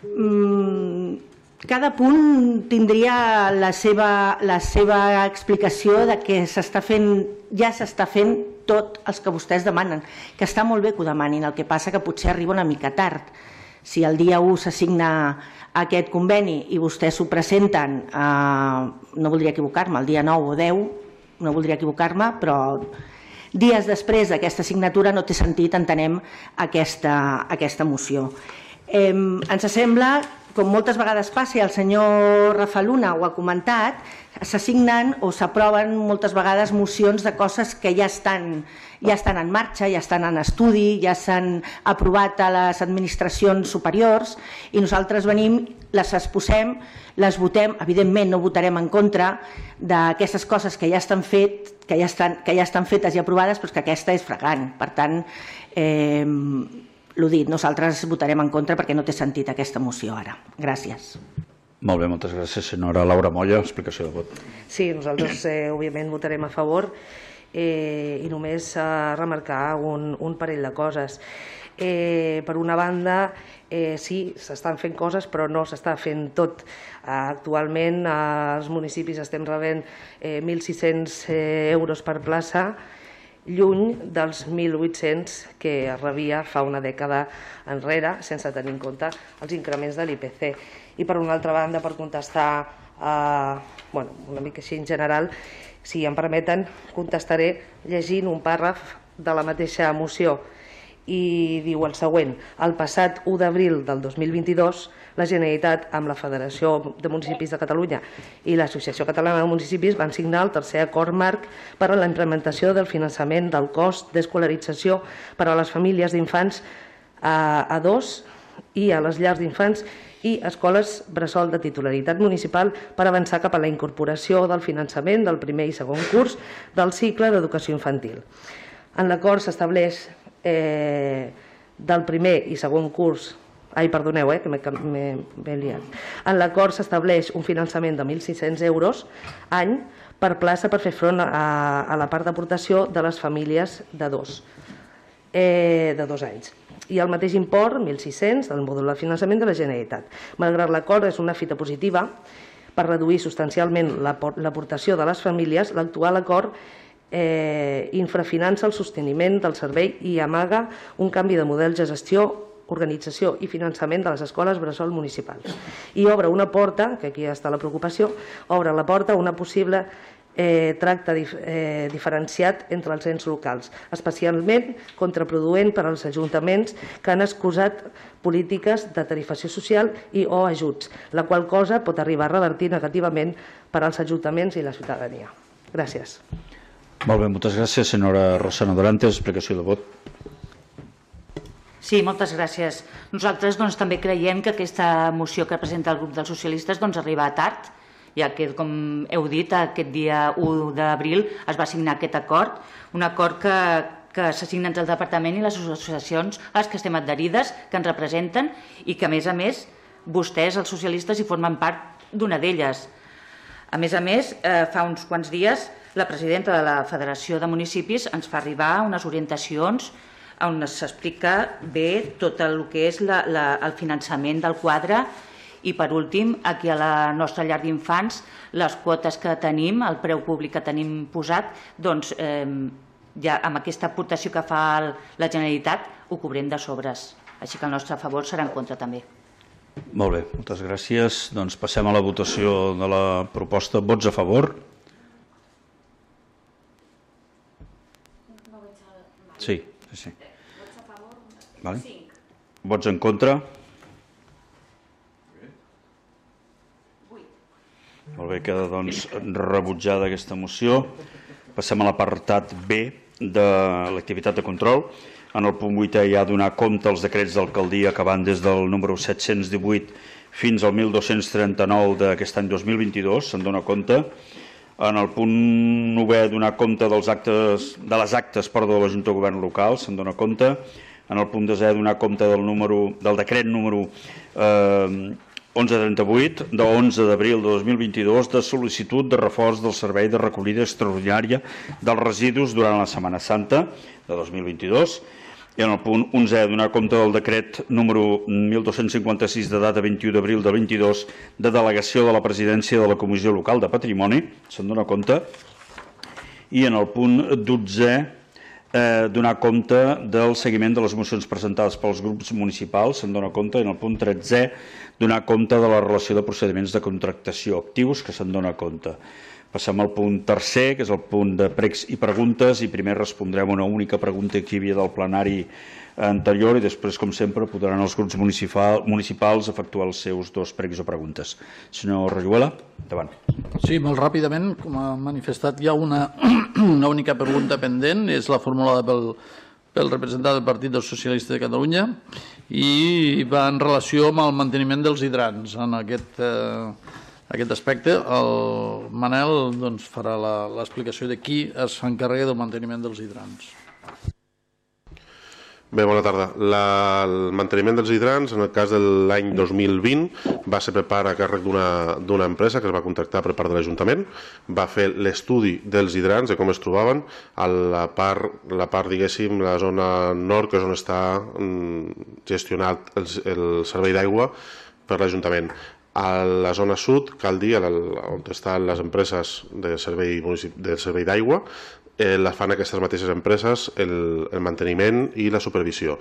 Mm, Cada punt tindria la seva, la seva explicació de que s'està fent, ja s'està fent tot els que vostès demanen, que està molt bé que ho demanin, el que passa que potser arriba una mica tard. Si el dia u s'assigna aquest conveni i vostès s'ho presenten, eh, no voldria equivocar-me, el dia nou o deu, no voldria equivocar-me, però dies després d'aquesta assignatura no té sentit, entenem, aquesta, aquesta moció. Eh, ens sembla, com moltes vegades passa, i el senyor Rafa Luna ho ha comentat, s'assignen o s'aproven moltes vegades mocions de coses que ja estan, ja estan en marxa, ja estan en estudi, ja s'han aprovat a les administracions superiors i nosaltres venim, les exposem, les votem, evidentment no votarem en contra d'aquestes coses que ja estan fet, que ja estan, que ja estan fetes i aprovades, però que aquesta és flagrant. Per tant, eh, l'ho dit, nosaltres votarem en contra perquè no té sentit aquesta moció ara. Gràcies. Molt bé, moltes gràcies. Senyora Laura Molla, explicació de vot. Sí, nosaltres eh, òbviament votarem a favor eh, i només eh, remarcar un, un parell de coses. Eh, per una banda, eh, sí, s'estan fent coses, però no s'està fent tot. Eh, actualment, eh, els municipis estem rebent eh, mil sis-cents eh, euros per plaça, lluny dels mil vuit-cents que es rebia fa una dècada enrere, sense tenir en compte els increments de l'I P C. I per una altra banda, per contestar eh, bueno, una mica així en general, si em permeten, contestaré llegint un pàrraf de la mateixa moció. I diu el següent: el passat u d'abril del dos mil vint-i-dos, la Generalitat, amb la Federació de Municipis de Catalunya i l'Associació Catalana de Municipis, van signar el tercer acord marc per a la implementació del finançament del cost d'escolarització per a les famílies d'infants a dos i a les llars d'infants i escoles bressol de titularitat municipal per avançar cap a la incorporació del finançament del primer i segon curs del cicle d'educació infantil. En l'acord s'estableix eh, del primer i segon curs Ai, perdoneu, eh, que m'he liat. En l'acord s'estableix un finançament de mil sis-cents euros any per plaça per fer front a, a la part d'aportació de les famílies de dos, eh, de dos anys. I el mateix import, mil sis-cents, del mòdul de finançament de la Generalitat. Malgrat l'acord és una fita positiva per reduir substancialment l'aportació de les famílies, l'actual acord eh, infrafinança el sosteniment del servei i amaga un canvi de model de gestió, organització i finançament de les escoles bressol municipals. I obre una porta, que aquí està la preocupació, obre la porta a una possible eh, tracte dif eh, diferenciat entre els ens locals, especialment contraproduent per als ajuntaments que han excusat polítiques de tarifació social i o ajuts, la qual cosa pot arribar a revertir negativament per als ajuntaments i la ciutadania. Gràcies. Molt bé, moltes gràcies. Senyora Rosana Dorantes, explicació de vot. Sí, moltes gràcies. Nosaltres doncs, també creiem que aquesta moció que presenta el grup dels socialistes doncs, arriba tard, ja que, com heu dit, aquest dia u d'abril es va signar aquest acord, un acord que que s'assignen entre el departament i les associacions a les que estem adherides, que ens representen i que, a més a més, vostès, els socialistes, hi formen part d'una d'elles. A més a més, eh, fa uns quants dies, la presidenta de la Federació de Municipis ens fa arribar unes orientacions on s'explica bé tot el que és la, la, el finançament del quadre i, per últim, aquí a la nostra llar d'infants, les quotes que tenim, el preu públic que tenim posat, doncs eh, ja amb aquesta aportació que fa el, la Generalitat ho cobrem de sobres. Així que el nostre favor serà en contra també. Molt bé, moltes gràcies. Doncs passem a la votació de la proposta. Vots a favor? Sí, sí, sí. Vale. Vots en contra? Molt bé, queda doncs rebutjada aquesta moció. Passem a l'apartat B de l'activitat de control. En el punt vuitè hi ha donar compte als decrets d'alcaldia que van des del número set-cents divuit fins al mil dos-cents trenta-nou d'aquest any dos mil vint-i-dos, se'n dona compte. En el punt novè, donar compte dels actes, de les actes perdó, de la Junta de Govern local, se'n dona compte. En el punt desè, donar compte del, número, del decret número eh, onze trenta-vuit, de onze d'abril de dos mil vint-i-dos, de sol·licitud de reforç del servei de recollida extraordinària dels residus durant la Setmana Santa de dos mil vint-i-dos. I en el punt onzè, donar compte del decret número mil dos-cents cinquanta-sis de data vint-i-u d'abril de vint-i-dos de delegació de la presidència de la Comissió Local de Patrimoni, se'n dona compte. I en el punt dotzè, eh, donar compte del seguiment de les mocions presentades pels grups municipals, se'n dona compte. I en el punt tretzè, donar compte de la relació de procediments de contractació actius, que se'n dona compte. Passem al punt tercer, que és el punt de pregs i preguntes, i primer respondrem una única pregunta que hi havia del plenari anterior i després, com sempre, podran els grups municipal, municipals efectuar els seus dos pregs o preguntes. Senyor Rayuela, endavant. Sí, molt ràpidament, com ha manifestat, hi ha una, una única pregunta pendent, és la formulada pel, pel representant del Partit dels Socialistes de Catalunya i va en relació amb el manteniment dels hidrants. En aquest... Eh, aquest aspecte, el Manel doncs, farà l'explicació de qui s'encarrega del manteniment dels hidrants. Bé, bona tarda. La, el manteniment dels hidrants, en el cas de l'any dos mil vint, va ser per part a càrrec d'una empresa que es va contractar per part de l'Ajuntament. Va fer l'estudi dels hidrants, de com es trobaven, a la part, la part diguéssim, la zona nord, que és on està gestionat el, el servei d'aigua per l'Ajuntament. A la zona sud, cal dir, on estan les empreses de servei, de servei d'aigua, eh, la fan aquestes mateixes empreses el, el manteniment i la supervisió.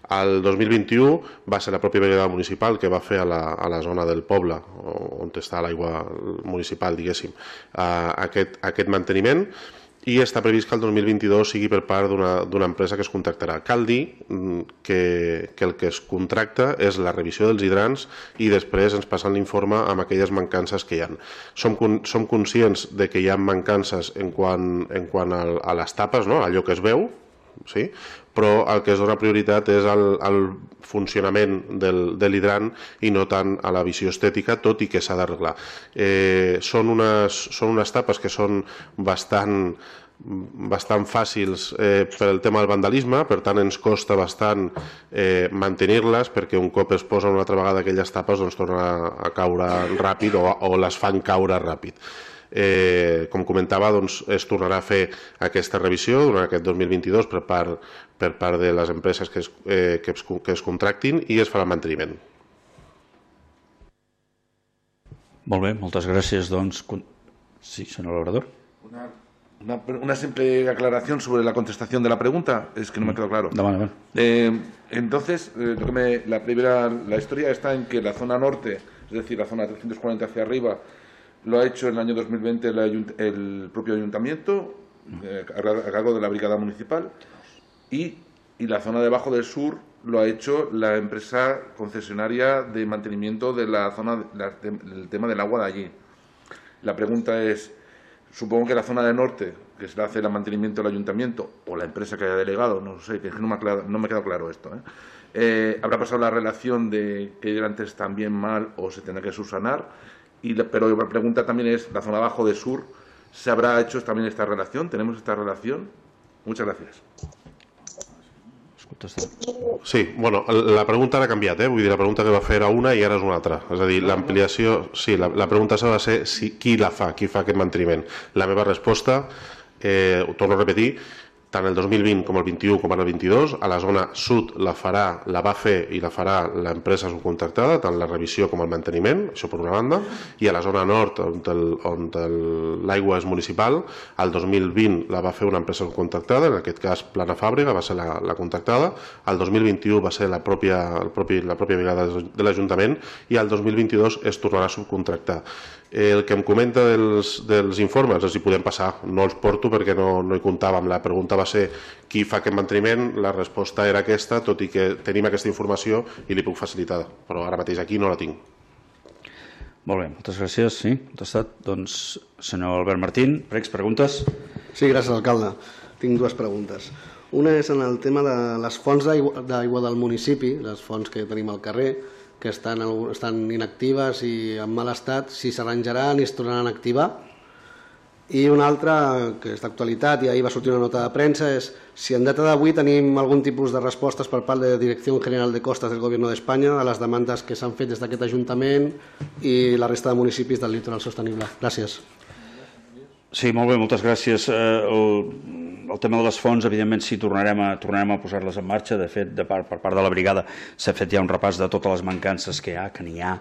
El dos mil vint-i-u va ser la pròpia brigada municipal que va fer a la, a la zona del poble, on està l'aigua municipal, diguéssim, eh, aquest, aquest manteniment, i està previst que el dos mil vint-i-dos sigui per part d'una empresa que es contractarà. Cal dir que, que el que es contracta és la revisió dels hidrants i després ens passen l'informe amb aquelles mancances que hi ha. Som, som conscients de que hi ha mancances en quant, en quant a, a les tapes, no? Allò que es veu, sí? Però el que es dona prioritat és el, el funcionament del, de l'hidrant i no tant a la visió estètica, tot i que s'ha d'arreglar. Eh, són, unes, són unes tapes que són bastant, bastant fàcils eh, per el tema del vandalisme, per tant ens costa bastant eh, mantenir-les, perquè un cop es posen una altra vegada aquelles tapes doncs tornen a caure ràpid o, o les fan caure ràpid. Eh, com comentava, doncs, es tornarà a fer aquesta revisió durant aquest dos mil vint-i-dos per part, per part de les empreses que es, eh, que, es, que es contractin i es farà el manteniment. Molt bé, moltes gràcies. Doncs... Sí, senyor Labrador. Una, una, una simple aclaración sobre la contestación de la pregunta, es que no me quedó claro. No, no, no. Eh, entonces, eh, lo que me, la, primera, la historia está en que la zona norte, es decir, la zona trescientos cuarenta hacia arriba, lo ha hecho en el año dos mil veinte el, el propio ayuntamiento, eh, a cargo de la brigada municipal, y, y la zona debajo del sur lo ha hecho la empresa concesionaria de mantenimiento de la zona, la, de, del tema del agua de allí. La pregunta es, supongo que la zona de norte, que se le hace el mantenimiento del ayuntamiento, o la empresa que haya delegado, no sé, que no me ha, claro, no me ha quedado claro esto, ¿eh? Eh, habrá pasado la relación de que antes están bien mal o se tendrá que subsanar. Y, pero la pregunta también es, la zona abajo de sur, ¿se habrá hecho también esta relación? ¿Tenemos esta relación? Muchas gracias. Sí, bueno, la pregunta ara ha canviat, eh? Vull dir, la pregunta que va fer era una i ara és una altra. És a dir, l'ampliació... Sí, la, la pregunta s'ha de ser si, qui la fa, qui fa aquest manteniment. La meva resposta, eh, ho torno a repetir, tant el dos mil vint com el vint-i-u com el vint-i-dos, a la zona sud la farà, la va fer i la farà l'empresa subcontractada, tant la revisió com el manteniment, això per una banda, i a la zona nord, on l'aigua és municipal, el dos mil vint la va fer una empresa subcontractada, en aquest cas Plana Fàbrega va ser la, la contractada, el dos mil vint-i-u va ser la pròpia, el propi, la pròpia brigada de l'Ajuntament i el dos mil vint-i-dos es tornarà a subcontractar. El que em comenta dels, dels informes, els hi podem passar, no els porto perquè no, no hi comptàvem. La pregunta va ser qui fa aquest manteniment, la resposta era aquesta, tot i que tenim aquesta informació i li puc facilitar, però ara mateix aquí no la tinc. Molt bé, moltes gràcies. Sí, contestat. Doncs, senyor Albert Martín, pregs, preguntes? Sí, gràcies, alcalde. Tinc dues preguntes. Una és en el tema de les fonts d'aigua del municipi, les fonts que tenim al carrer, que estan, estan inactives i en mal estat, si s'arranjaran i es tornaran a activar. I una altra, que és d'actualitat, i ahir va sortir una nota de premsa, és si en data d'avui tenim algun tipus de respostes per part de la Direcció General de Costas del Govern d'Espanya a les demandes que s'han fet des d'aquest Ajuntament i la resta de municipis del litoral sostenible. Gràcies. Sí, molt bé, moltes gràcies. El, el tema de les fonts, evidentment, sí, tornarem a, tornarem a posar-les en marxa. De fet, de part, per part de la brigada s'ha fet ja un repàs de totes les mancances que hi ha, que n'hi ha,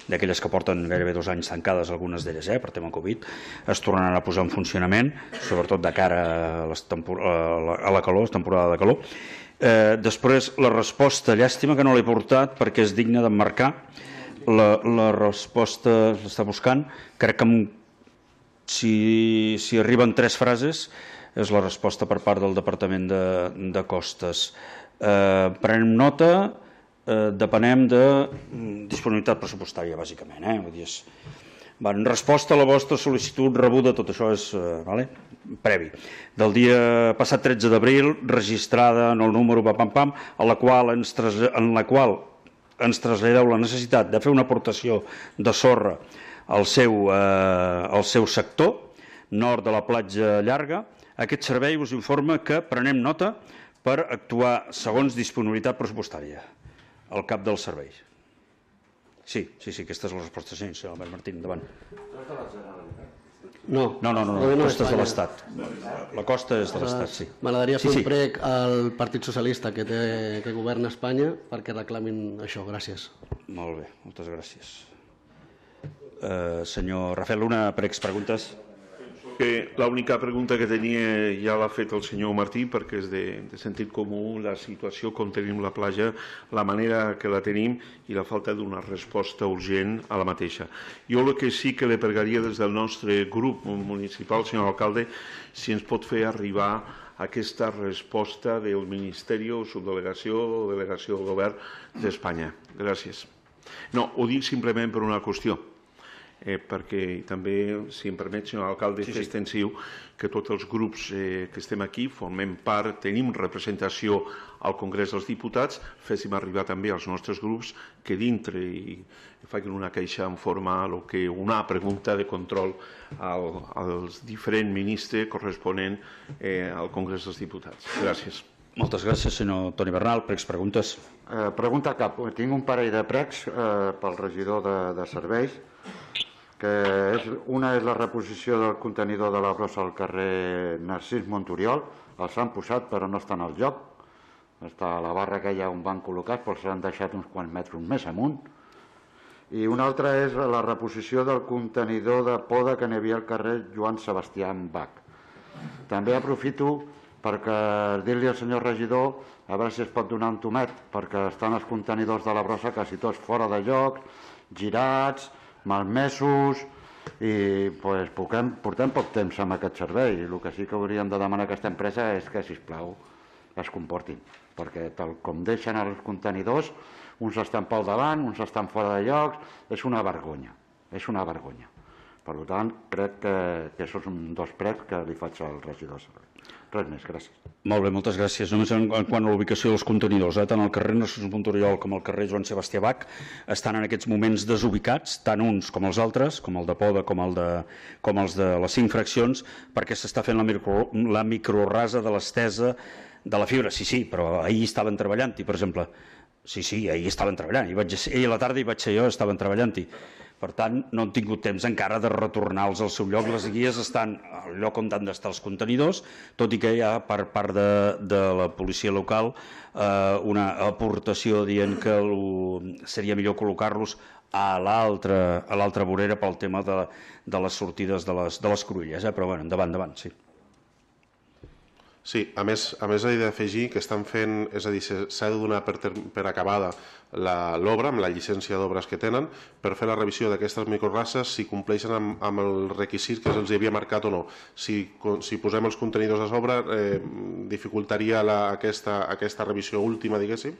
d'aquelles que porten gairebé dos anys tancades, algunes d'elles, eh, per tema Covid. Es tornaran a posar en funcionament, sobretot de cara a, les tempor a, la, a la calor, temporada de calor. Eh, després, la resposta, llàstima que no l'he portat perquè és digna d'emmarcar. La, la resposta l'està buscant, crec que amb Si, si arriben tres frases, és la resposta per part del Departament de, de Costes. Eh, prenem nota, eh, depenem de disponibilitat pressupostària, bàsicament. Eh? Vull dir, és... Va, en resposta a la vostra sol·licitud rebuda, tot això és eh, vale? previ. Del dia passat tretze d'abril, registrada en el número pam, pam, a la qual ens, tras... en la qual ens traslladeu la necessitat de fer una aportació de sorra al seu, eh, al seu sector, nord de la platja llarga. Aquest servei us informa que prenem nota per actuar segons disponibilitat pressupostària al cap del servei. Sí, sí, sí, aquesta és la resposta. Sí, senyor Albert Martín, endavant. No, no, no, no, no costa és de l'Estat. La costa és de l'Estat, sí. M'agradaria fer sí, sí. un prec al Partit Socialista que, té, que governa Espanya perquè reclamin això. Gràcies. Molt bé, moltes gràcies. Uh, senyor Rafael Luna, pregs, preguntes? Que l'única pregunta que tenia ja l'ha fet el senyor Martí, perquè és de, de sentit comú la situació com tenim la platja, la manera que la tenim i la falta d'una resposta urgent a la mateixa. Jo el que sí que li pregaria des del nostre grup municipal, senyor alcalde, si ens pot fer arribar aquesta resposta del Ministeri o Subdelegació o Delegació del Govern d'Espanya. Gràcies. No, ho dic simplement per una qüestió. Eh, perquè també, si em permet, senyor alcalde, sí, sí. fer extensiu que tots els grups eh, que estem aquí formem part, tenim representació al Congrés dels Diputats, féssim arribar també als nostres grups que dintre i facin una queixa en forma lo que una pregunta de control al, als diferents ministres corresponent eh, al Congrés dels Diputats. Gràcies. Moltes gràcies, senyor Toni Bernal. Pregs, preguntes? Eh, pregunta cap. Tinc un parell de pregs eh, pel regidor de, de serveis. Que és, una és la reposició del contenidor de la brossa al carrer Narcís Montoriol. Els han posat però no estan al lloc. Està a la barra aquella on van col·locar, però s'han deixat uns quants metres més amunt. I una altra és la reposició del contenidor de poda que n'hi havia al carrer Joan Sebastià Bach. També aprofito perquè dir-li al senyor regidor a veure si es pot donar un tomet, perquè estan els contenidors de la brossa quasi tots fora de lloc, girats, malmesos, i pues, portem, portem poc temps amb aquest servei. El que sí que hauríem de demanar a aquesta empresa és que, sisplau, es comportin, perquè tal com deixen els contenidors, uns estan pel davant, uns estan fora de llocs, és una vergonya, és una vergonya. Per tant, crec que, que això són dos prets que li faig al regidor. Res més, gràcies. Molt bé, moltes gràcies. Només en, en quant a l'ubicació dels contenidors, eh? Tant el carrer Narcís Montoriol com el carrer Joan Sebastià Bach estan en aquests moments desubicats, tant uns com els altres, com el de Poda, com, el de, com els de les cinc fraccions, perquè s'està fent la, micro, la microrasa de l'estesa de la fibra. Sí, sí, però ahir estaven treballant-hi, per exemple. Sí, sí, ahir estaven treballant. Hi vaig, ahir a la tarda hi vaig ser jo, estaven treballant-hi. Per tant, no han tingut temps encara de retornar-los al seu lloc. Les guies estan al lloc on han d'estar els contenidors, tot i que hi ha per part de, de la policia local eh, una aportació dient que el, seria millor col·locar-los a l'altra vorera pel tema de, de les sortides de les, de les cruïlles. Eh? Però bueno, endavant, endavant, sí. Sí, a més, a més he d'afegir que estan fent, és a dir, s'ha de donar per, per acabada l'obra amb la llicència d'obres que tenen per fer la revisió d'aquestes microraces si compleixen amb, amb el requisit que se'ls havia marcat o no. Si, si posem els contenidors a sobre eh, dificultaria la, aquesta, aquesta revisió última, diguéssim,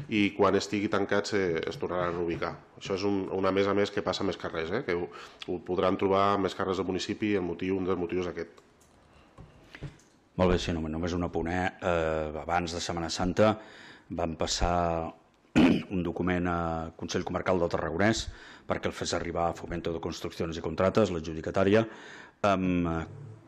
i quan estigui tancats eh, es tornaran a ubicar. Això és un, una més a més que passa més carrers, eh, que ho, ho podran trobar més carrers del municipi i el motiu, un dels motius aquest. Molt bé, sí, només un apunt. Eh, abans de Setmana Santa vam passar un document al Consell Comarcal del Tarragonès perquè el fes arribar a Fomento de Construccions i Contrates, l'adjudicatària, amb,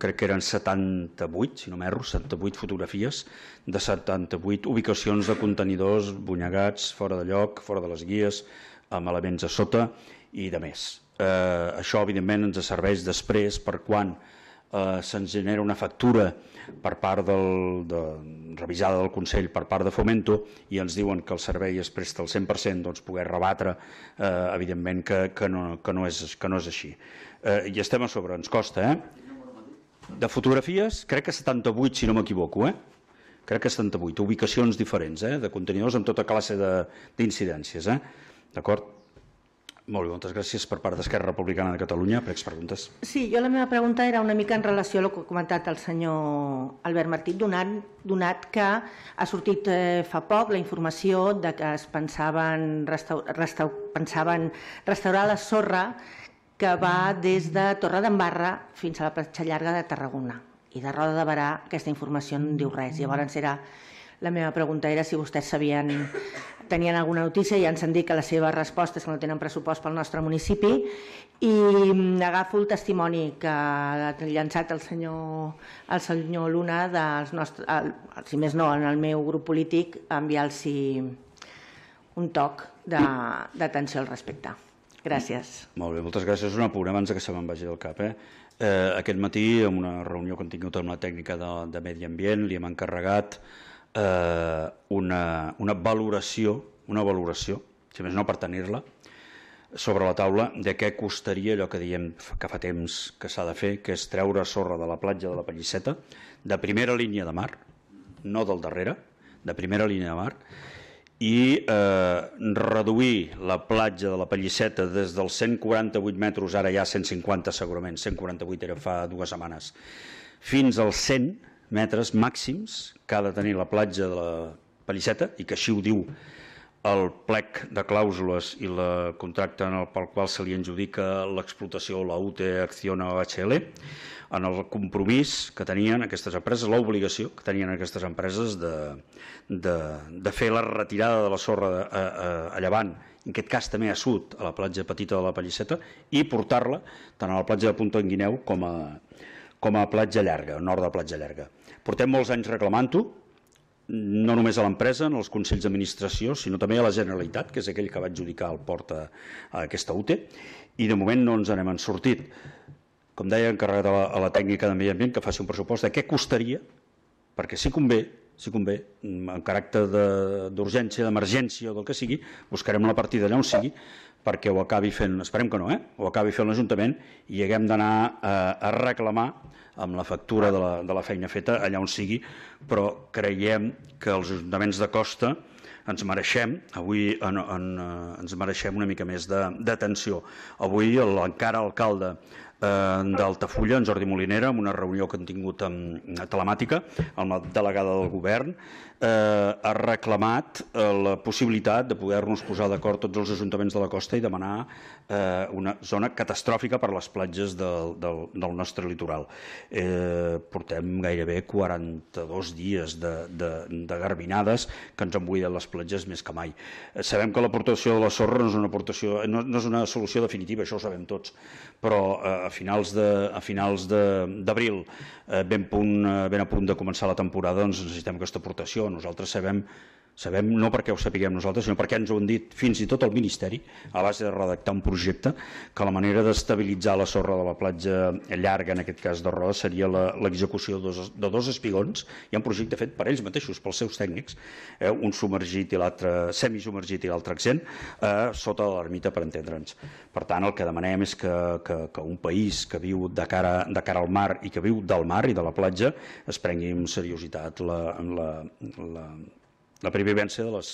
crec que eren setanta-vuit, si no m'erro, setanta-vuit fotografies de setanta-vuit ubicacions de contenidors bunyegats, fora de lloc, fora de les guies, amb elements a sota i de més. Eh, això, evidentment, ens serveix després per quan eh, se'ns genera una factura per part del, de, revisada del Consell per part de Fomento i ens diuen que el servei es presta al cent per cent, doncs poder rebatre eh, evidentment que, que, no, que, no és, que no és així. Eh, I estem a sobre, ens costa, eh? De fotografies, crec que setanta-vuit, si no m'equivoco, eh? Crec que setanta-vuit, ubicacions diferents, eh? De contenidors amb tota classe d'incidències, eh? D'acord? Molt bé, moltes gràcies per part d'Esquerra Republicana de Catalunya. Pregs preguntes. Sí, jo la meva pregunta era una mica en relació a el que ha comentat el senyor Albert Martí, donat, donat que ha sortit eh, fa poc la informació de que es pensaven, restau, restau, pensaven restaurar la sorra que va des de Torredembarra fins a la platja llarga de Tarragona. I de Roda de Berà aquesta informació no en diu res. Llavors era, la meva pregunta era si vostès sabien... tenien alguna notícia i ens han dit que la seva resposta és que no tenen pressupost pel nostre municipi i agafo el testimoni que ha llançat el senyor, el senyor Luna dels nostres, el, si més no, en el meu grup polític, enviar-los un toc d'atenció al respecte. Gràcies. Molt bé, moltes gràcies. Un apunt abans que se me'n vagi del cap. Eh? Eh, aquest matí, en una reunió que hem tingut amb la tècnica de, de Medi Ambient, li hem encarregat Eh, una, una valoració, una valoració, si més no per tenir-la, sobre la taula de què costaria allò que diem que fa temps que s'ha de fer, que és treure sorra de la platja de la Pallisseta, de primera línia de mar, no del darrere, de primera línia de mar, i eh, reduir la platja de la Pallisseta des dels cent quaranta-vuit metres, ara ja cent cinquanta segurament, cent quaranta-vuit era fa dues setmanes, fins als cent metres màxims que ha de tenir la platja de la Pallisseta i que així ho diu el plec de clàusules i el contracte pel qual se li adjudica l'explotació, la U T E, Acciona o H L, en el compromís que tenien aquestes empreses, l'obligació que tenien aquestes empreses de, de, de fer la retirada de la sorra a, a, a llevant, en aquest cas també a sud, a la platja petita de la Pallisseta, i portar-la tant a la platja de Punta en Guineu com a, com a platja llarga, nord de platja llarga. Portem molts anys reclamant-ho, no només a l'empresa, en els consells d'administració, sinó també a la Generalitat, que és aquell que va adjudicar el port a, a aquesta U T E, i de moment no ens n'hem sortit. Com deia, encarregat a la, a la tècnica de Medi Ambient que faci un pressupost de què costaria, perquè si convé, si convé, en caràcter d'urgència, d'emergència o del que sigui, buscarem la partida allà on sigui, perquè ho acabi fent, esperem que no, eh? ho acabi fent l'Ajuntament i haguem d'anar a, a reclamar amb la factura de la, de la feina feta allà on sigui, però creiem que els ajuntaments de costa ens mereixem, avui en, en, ens mereixem una mica més d'atenció. Avui l'encara alcalde eh, d'Altafulla, en Jordi Molinera, en una reunió que hem tingut amb, telemàtica amb la delegada del govern, ha reclamat la possibilitat de poder-nos posar d'acord tots els ajuntaments de la costa i demanar una zona catastròfica per a les platges del, del, del nostre litoral. Eh, portem gairebé quaranta-dos dies de, de, de garbinades que ens han buidat les platges més que mai. Eh, sabem que l'aportació de la sorra no és una, aportació, no, no és una solució definitiva, això ho sabem tots, però eh, a finals de, a finals d'abril, eh, ben, punt, ben a punt de començar la temporada, doncs necessitem aquesta aportació. Nosaltres sabem Sabem, no perquè ho sapiguem nosaltres, sinó perquè ens ho han dit fins i tot el Ministeri, a base de redactar un projecte, que la manera d'estabilitzar la sorra de la platja llarga, en aquest cas de Roda, seria l'execució de, de dos espigons. Hi ha un projecte fet per ells mateixos, pels seus tècnics, eh, un submergit i l'altre semisubmergit i l'altre accent, eh, sota de l'ermita, per entendre'ns. Per tant, el que demanem és que, que, que un país que viu de cara, de cara al mar i que viu del mar i de la platja es prengui amb seriositat la, la, la la pervivència de les,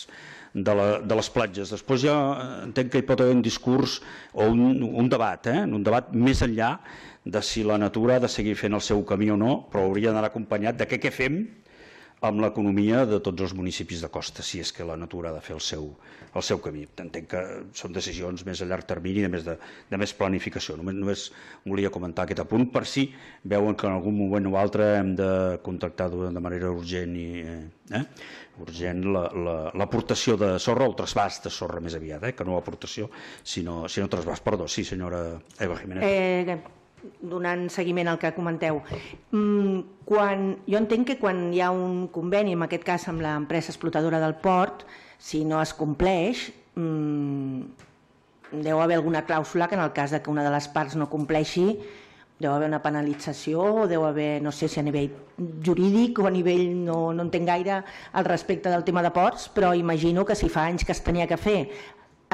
de, la, de les platges. Després ja entenc que hi pot haver un discurs o un, un debat, eh? un debat més enllà de si la natura ha de seguir fent el seu camí o no, però hauria d'anar acompanyat de què, què fem amb l'economia de tots els municipis de costa, si és que la natura ha de fer el seu, el seu camí. Entenc que són decisions més a llarg termini, de més, de, de més planificació. Només, només volia comentar aquest apunt per si veuen que en algun moment o altre hem de contactar de manera urgent i eh, urgent l'aportació la, la, de sorra o el trasbàs de sorra més aviat, eh, que no aportació, sinó, sinó trasbàs. Perdó, sí, senyora Eva Jiménez. Eh, donant seguiment al que comenteu. Quan, jo entenc que quan hi ha un conveni, en aquest cas amb l'empresa explotadora del port, si no es compleix, mmm, deu haver alguna clàusula que en el cas de que una de les parts no compleixi, deu haver una penalització, o deu haver, no sé si a nivell jurídic o a nivell, no, no entenc gaire al respecte del tema de ports, però imagino que si fa anys que es tenia que fer,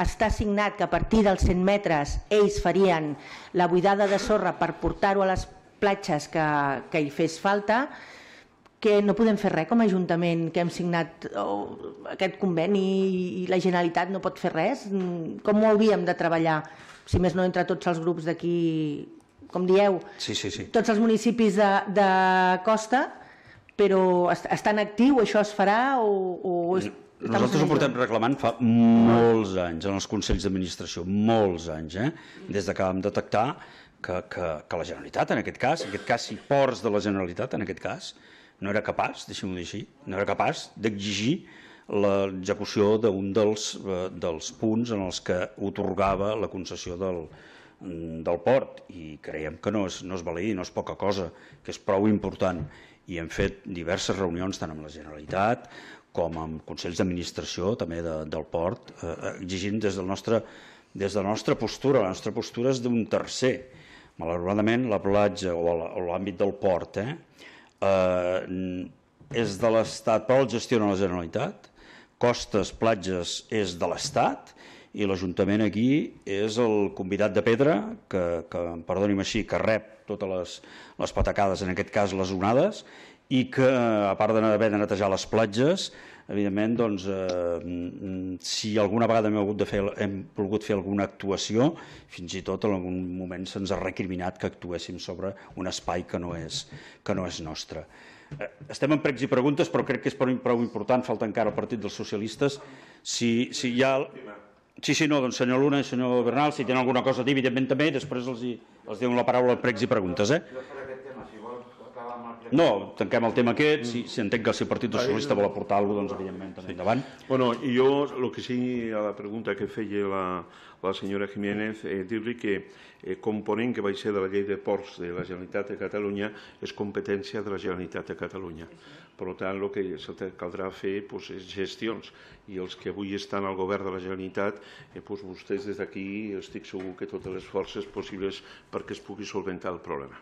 està signat que a partir dels cent metres ells farien la buidada de sorra per portar-ho a les platges que, que hi fes falta, que no podem fer res com a Ajuntament que hem signat oh, aquest conveni i la Generalitat no pot fer res. Com ho hauríem de treballar? Si més no entre tots els grups d'aquí, com dieu, sí, sí, sí. tots els municipis de, de costa, però està en actiu, això es farà o... o és... Nosaltres ho portem reclamant fa molts anys en els Consells d'Administració, molts anys, eh? Des que vam detectar que, que, que la Generalitat, en aquest cas, en aquest cas, si ports de la Generalitat, en aquest cas, no era capaç, deixem-ho dir així, no era capaç d'exigir l'execució d'un dels, eh, dels punts en els que otorgava la concessió del, del port, i creiem que no és, no és valí, no és poca cosa, que és prou important, i hem fet diverses reunions tant amb la Generalitat com amb consells d'administració també de, del port, eh, exigint des, del nostre, des de la nostra postura. La nostra postura és d'un tercer. Malauradament, la platja o l'àmbit del port eh, eh, és de l'Estat, però el gestiona la Generalitat. Costes, platges, és de l'Estat, i l'Ajuntament aquí és el convidat de pedra, que, que perdoni'm així, que rep totes les, les patacades, en aquest cas les onades, i que, a part d'haver de netejar les platges, evidentment, doncs, eh, si alguna vegada hem, hagut de fer, hem volgut fer alguna actuació, fins i tot en algun moment se'ns ha recriminat que actuéssim sobre un espai que no és, que no és nostre. Eh, estem en pregs i preguntes, però crec que és prou important, falta encara el Partit dels Socialistes. Si, si hi ha... Sí, sí, no, doncs senyor Luna i senyor Bernal, si tenen alguna cosa a dir, evidentment també, i després els, els dono la paraula a pregs i preguntes, eh? No, tanquem el tema aquest, si, si entenc que si el Partit Socialista vol aportar alguna cosa, doncs evidentment també endavant. Bueno, jo el que sí, a la pregunta que feia la, la senyora Jiménez, eh, dir-li que eh, component que va ser de la llei de ports de la Generalitat de Catalunya és competència de la Generalitat de Catalunya. Per tant, el que caldrà fer pues, és gestions, i els que avui estan al govern de la Generalitat, eh, pues, vostès des d'aquí estic segur que totes les forces possibles perquè es pugui solventar el problema.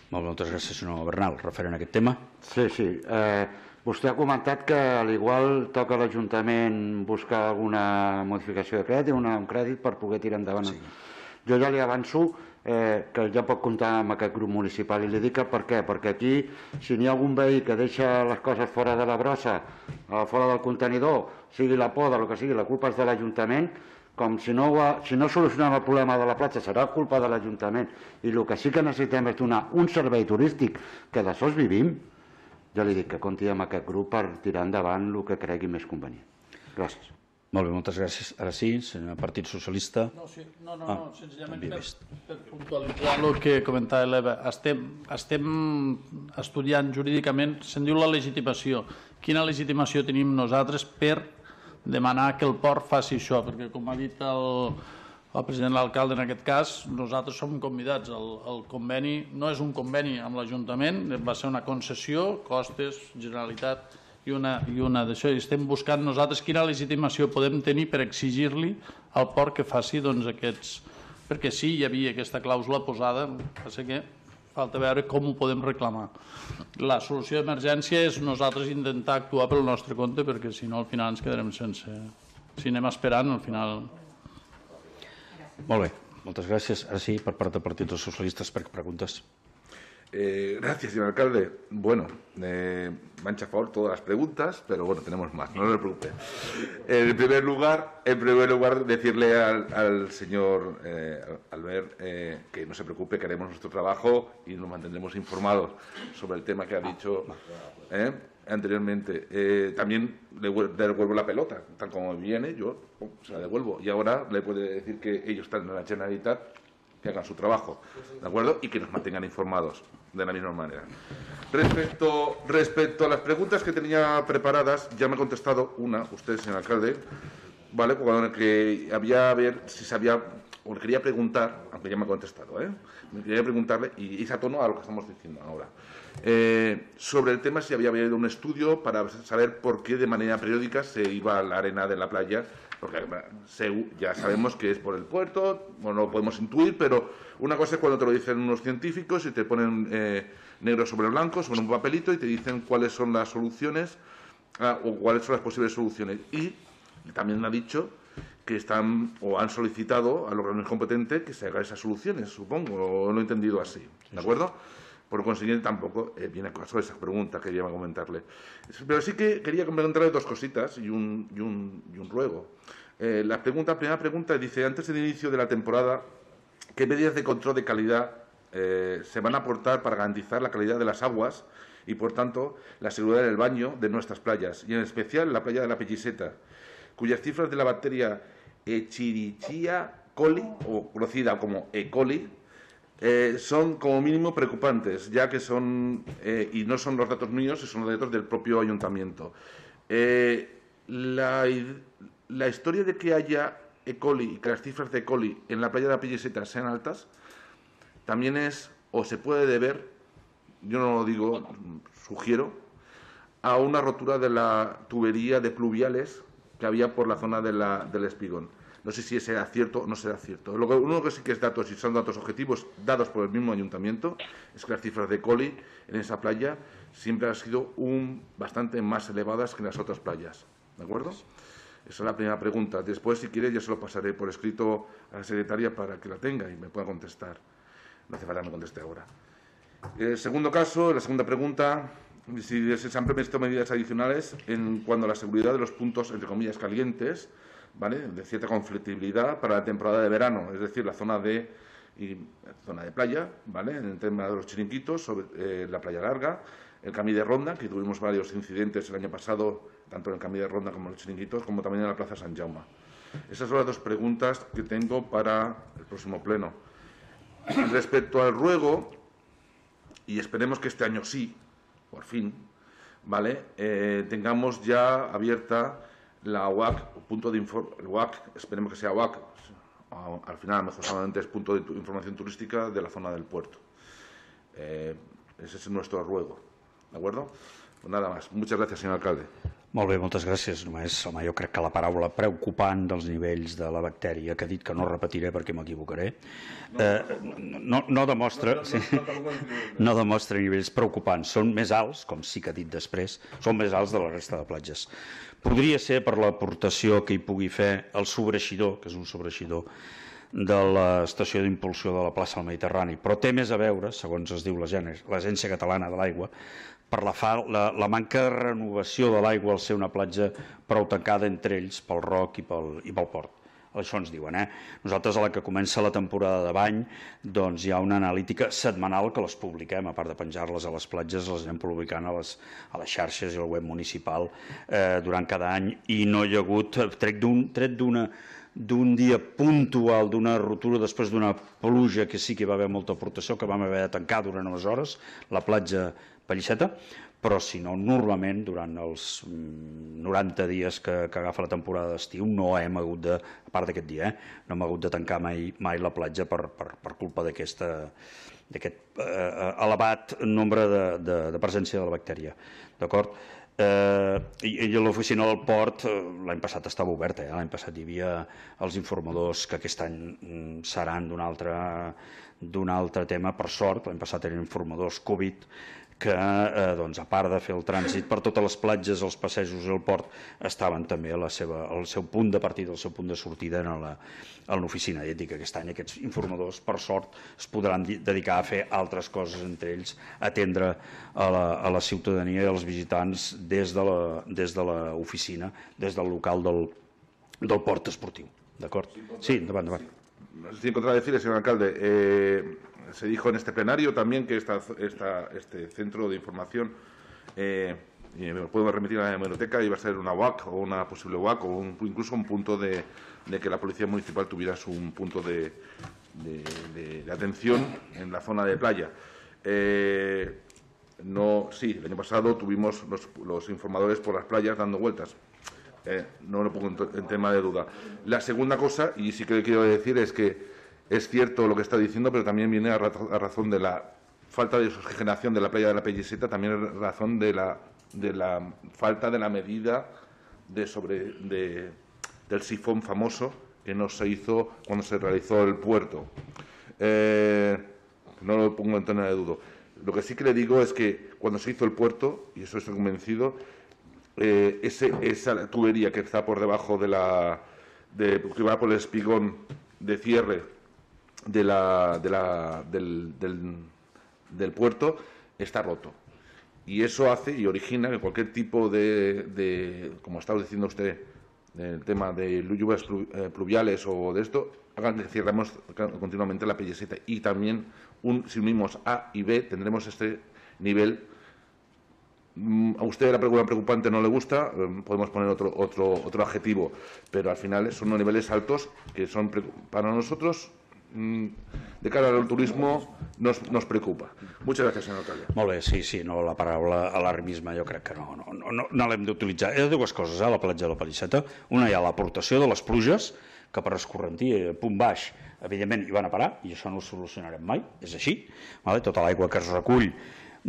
Molt bé, moltes gràcies, senyor Bernal. Referent a aquest tema. Sí, sí. Eh, vostè ha comentat que al igual toca a l'Ajuntament buscar alguna modificació de crèdit, una, un crèdit per poder tirar endavant. Sí. Jo ja li avanço eh, que ja pot comptar amb aquest grup municipal, i li dic per què. Perquè aquí, si n'hi ha algun veí que deixa les coses fora de la brossa, fora del contenidor, sigui la poda, el que sigui, la culpa és de l'Ajuntament, com si no, si no solucionem el problema de la platja serà culpa de l'Ajuntament, i el que sí que necessitem és donar un servei turístic, que d'això vivim. ja li dic que compti amb aquest grup per tirar endavant el que cregui més convenient. Gràcies. Molt bé, moltes gràcies. Ara sí, senyor Partit Socialista. No, sí, no, no, no, senzillament per, per puntualitzar el que comentava l'Eva. Estem, estem estudiant jurídicament, se'n diu la legitimació. Quina legitimació tenim nosaltres per demanar que el port faci això? Perquè, com ha dit el, el president de l'alcalde en aquest cas, nosaltres som convidats. El, el conveni no és un conveni amb l'Ajuntament, va ser una concessió, costes, Generalitat i una, i una d'això. I estem buscant nosaltres quina legitimació podem tenir per exigir-li al port que faci doncs, aquests... Perquè sí, hi havia aquesta clàusula posada, passa que falta veure com ho podem reclamar. La solució d'emergència és nosaltres intentar actuar pel nostre compte, perquè si no al final ens quedarem sense... Si anem esperant, al final... Molt bé, moltes gràcies. Ara sí, per part del Partit dels Socialistes, per preguntes. Eh, gracias, señor alcalde. Bueno, eh, me han chafado todas las preguntas, pero bueno, tenemos más, no se preocupe. En primer lugar, en primer lugar decirle al, al señor eh, Albert eh, que no se preocupe, que haremos nuestro trabajo y nos mantendremos informados sobre el tema que ha dicho eh, anteriormente. Eh, también le devuelvo la pelota, tal como viene, yo oh, se la devuelvo. Y ahora le puede decir que ellos están en la Generalitat, que hagan su trabajo, ¿de acuerdo? Y que nos mantengan informados de la misma manera. Respecto, respecto a las preguntas que tenía preparadas, ya me ha contestado una, usted, señor alcalde, ¿vale? Cuando que había a ver si sabía, o le quería preguntar, aunque ya me ha contestado, ¿eh? Me quería preguntarle, y hice a tono a lo que estamos diciendo ahora, eh, sobre el tema si había habido un estudio para saber por qué de manera periódica se iba a la arena de la playa, porque ya sabemos que es por el puerto, bueno, lo podemos intuir, pero una cosa es cuando te lo dicen unos científicos y te ponen eh, negro sobre blanco, sobre un papelito, y te dicen cuáles son las soluciones ah, o cuáles son las posibles soluciones. Y también me ha dicho que están o han solicitado al órgano competente que se haga esas soluciones, supongo, o lo he entendido así, ¿de acuerdo? Por consiguiente, tampoco eh, viene a caso esa pregunta que quería comentarle. Pero sí que quería comentarle dos cositas y un, y un, y un ruego. Eh, la pregunta, primera pregunta dice, antes del inicio de la temporada, ¿qué medidas de control de calidad eh, se van a aportar para garantizar la calidad de las aguas y, por tanto, la seguridad del baño de nuestras playas? Y en especial la playa de la Pelliseta, cuyas cifras de la bacteria Escherichia coli, o conocida como E. coli, Eh, son como mínimo preocupantes, ya que son, eh, y no son los datos míos, son los datos del propio ayuntamiento. Eh, la, la historia de que haya E. coli y que las cifras de E. coli en la playa de la Pelliseta sean altas, también es, o se puede deber, yo no lo digo, sugiero, a una rotura de la tubería de pluviales que había por la zona de la, del Espigón. No sé si será cierto o no será cierto. Lo que, uno que sí que es datos, y son datos objetivos dados por el mismo ayuntamiento, es que las cifras de E. coli en esa playa siempre han sido un, bastante más elevadas que en las otras playas. ¿De acuerdo? Esa es la primera pregunta. Después, si quiere, yo se lo pasaré por escrito a la secretaria para que la tenga y me pueda contestar. No hace falta que me conteste ahora. El segundo caso, la segunda pregunta, si se han previsto medidas adicionales en cuanto a la seguridad de los puntos, entre comillas, calientes, ¿vale?, de cierta conflictibilidad para la temporada de verano, es decir, la zona de, y, zona de playa, ¿vale?, en el tema de los chiringuitos, sobre eh, la playa larga, el Camí de Ronda, que tuvimos varios incidentes el año pasado, tanto en el Camí de Ronda como en los chiringuitos, como también en la Plaza San Jaume. Esas son las dos preguntas que tengo para el próximo pleno. Respecto al ruego, y esperemos que este año sí, por fin, ¿vale?, eh, tengamos ya abierta la U A C, punto de inform el U A C, esperemos que sea U A C, al final mejor solamente es punto de información turística de la zona del puerto. Eh, ese es nuestro ruego, ¿de acuerdo? Pues nada más. Muchas gracias, señor alcalde. Molt bé, moltes gràcies. Només, home, jo crec que la paraula preocupant dels nivells de la bactèria, que ha dit que no repetiré perquè m'equivocaré, eh, no, no, demostra, sí, no demostra nivells preocupants. Són més alts, com sí que ha dit després, són més alts de la resta de platges. Podria ser per l'aportació que hi pugui fer el sobreixidor, que és un sobreixidor de l'estació d'impulsió de la plaça del Mediterrani, però té més a veure, segons es diu l'Agència Catalana de l'Aigua, per la, fa, la, la manca de renovació de l'aigua al ser una platja prou tancada entre ells pel roc i pel, i pel port. això ens diuen. Eh? Nosaltres, a la que comença la temporada de bany, doncs hi ha una analítica setmanal que les publiquem, a part de penjar-les a les platges, les anem publicant a les, a les xarxes i al web municipal eh, durant cada any, i no hi ha hagut, tret d'una d'un dia puntual, d'una rotura després d'una pluja que sí que hi va haver molta aportació, que vam haver de tancar durant unes hores la platja Pelliceta, però si no, normalment durant els noranta dies que, que agafa la temporada d'estiu no hem hagut de, a part d'aquest dia, eh, no hem hagut de tancar mai, mai la platja per, per, per culpa d'aquest eh, elevat nombre de, de, de presència de la bactèria. D'acord? Eh, i, i l'oficina del port l'any passat estava oberta, eh? L'any passat hi havia els informadors que aquest any seran d'un altre, d'un altre tema, per sort. L'any passat eren informadors Covid que, eh, doncs, a part de fer el trànsit per totes les platges, els passejos i el port, estaven també a la seva, al seu punt de partida, al seu punt de sortida en la, en l'oficina. I et dic que aquest any aquests informadors, per sort, es podran dedicar a fer altres coses, entre ells atendre a la, a la ciutadania i als visitants des de la, des de l'oficina, des del local del, del port esportiu. D'acord? Sí, endavant, endavant. Sin contradecirle, señor alcalde, eh, se dijo en este plenario también que esta, esta, este centro de información, eh, y me puedo remitir a la hemeroteca, iba a ser una U A C o una posible U A C o un, incluso un punto de, de que la Policía Municipal tuviera su, un punto de, de, de, de atención en la zona de playa. Eh, no, sí, el año pasado tuvimos los, los informadores por las playas dando vueltas. Eh, no lo pongo en, en tema de duda. La segunda cosa, y sí que le quiero decir, es que es cierto lo que está diciendo, pero también viene a, ra a razón de la falta de oxigenación de la playa de la Pelliceta, también a razón de la, de la falta de la medida de sobre, de, del sifón famoso que no se hizo cuando se realizó el puerto. Eh, no lo pongo en tema de duda. Lo que sí que le digo es que cuando se hizo el puerto, y eso estoy convencido, Eh, ese, esa tubería que está por debajo de la de, que va por el espigón de cierre de la, de la, del, del, del puerto está roto, y eso hace y origina que cualquier tipo de, de como estaba diciendo usted, el tema de lluvias pluviales o de esto, hagan que cierremos continuamente la Pelliceta, y también un, si unimos A y B tendremos este nivel. A usted la pregunta preocupante no le gusta, podemos poner otro, otro, otro adjetivo, pero al final son unos niveles altos que son para nosotros, de cara al turismo, nos, nos preocupa. Muchas gracias, señor alcalde. Molt bé, sí, sí, no, la paraula alarmisme jo crec que no, no, no, no, no l'hem d'utilitzar. Hi ha dues coses a la platja de la Pelliceta. Una, hi ha l'aportació de les pluges, que per escorrentir, punt baix, evidentment hi van a parar, i això no ho solucionarem mai, és així. Vale? Tota l'aigua que es recull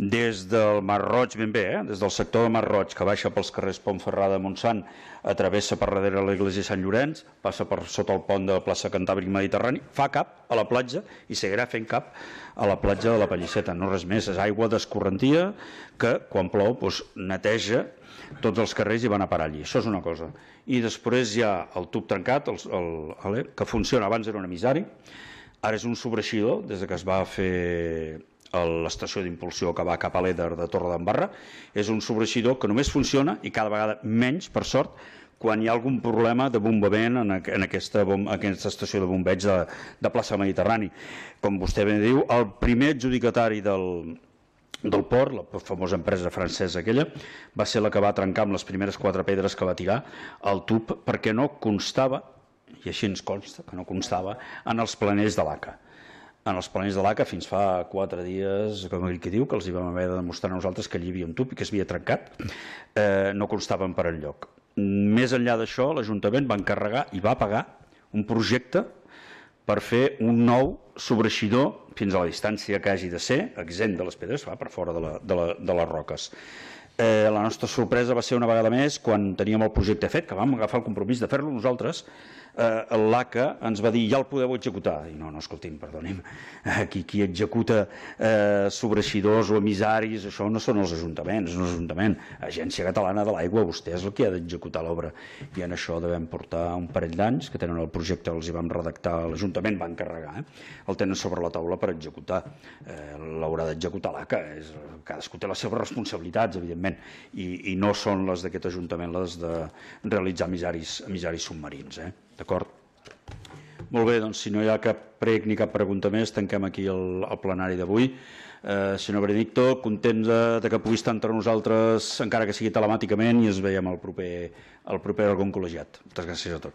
des del Mar Roig, ben bé, eh? des del sector del Mar Roig, que baixa pels carrers Pontferrada de Montsant, atravessa per darrere l'església de Sant Llorenç, passa per sota el pont de la plaça Cantàbric Mediterrani, fa cap a la platja i seguirà fent cap a la platja de la Pelliceta. No res més, és aigua d'escorrentia que quan plou doncs, neteja tots els carrers i van a parar allí. Això és una cosa. I després hi ha el tub trencat, el, el, el, que funciona, abans era un emissari, ara és un sobreeixidor, des que es va fer l'estació d'impulsió que va cap a l'Eder de Torredembarra. És un sobreeixidor que només funciona, i cada vegada menys, per sort, quan hi ha algun problema de bombament en, en aquesta, bom, aquesta estació de bombeig de, de plaça Mediterrani. Com vostè bé diu, el primer adjudicatari del, del port, la famosa empresa francesa aquella, va ser la que va trencar amb les primeres quatre pedres que va tirar el tub, perquè no constava, i així ens consta que no constava, en els planells de l'A C A. En els planells de l'A C A fins fa quatre dies, com ell que diu, que els hi vam haver de demostrar a nosaltres que allí hi havia un tub i que s'havia trencat, eh, no constaven per enlloc. Més enllà d'això, l'Ajuntament va encarregar i va pagar un projecte per fer un nou sobreeixidor fins a la distància que hagi de ser, exempt de les pedres, va per fora de, la, de, la, de les roques. Eh, la nostra sorpresa va ser una vegada més quan teníem el projecte fet, que vam agafar el compromís de fer-lo nosaltres. eh, l'A C A ens va dir ja el podeu executar, i no, no, escolti'm, perdoni'm, qui, qui executa eh, sobreeixidors o emissaris, això no són els ajuntaments, no és l'Ajuntament, Agència Catalana de l'Aigua, vostè és el que ha d'executar l'obra, i en això devem portar un parell d'anys que tenen el projecte, els hi vam redactar, l'Ajuntament va encarregar, eh? el tenen sobre la taula per executar, eh, l'haurà d'executar l'A C A, és, cadascú té les seves responsabilitats, evidentment, i, i no són les d'aquest Ajuntament les de realitzar emissaris, emissaris submarins, eh? D'acord? Molt bé, doncs si no hi ha cap prec ni cap pregunta més, tanquem aquí el, el plenari d'avui. Eh, senyor Benedicto, content de, de que pugui estar entre nosaltres, encara que sigui telemàticament, i ens veiem el proper, el proper òrgan col·legiat. Moltes gràcies a tots.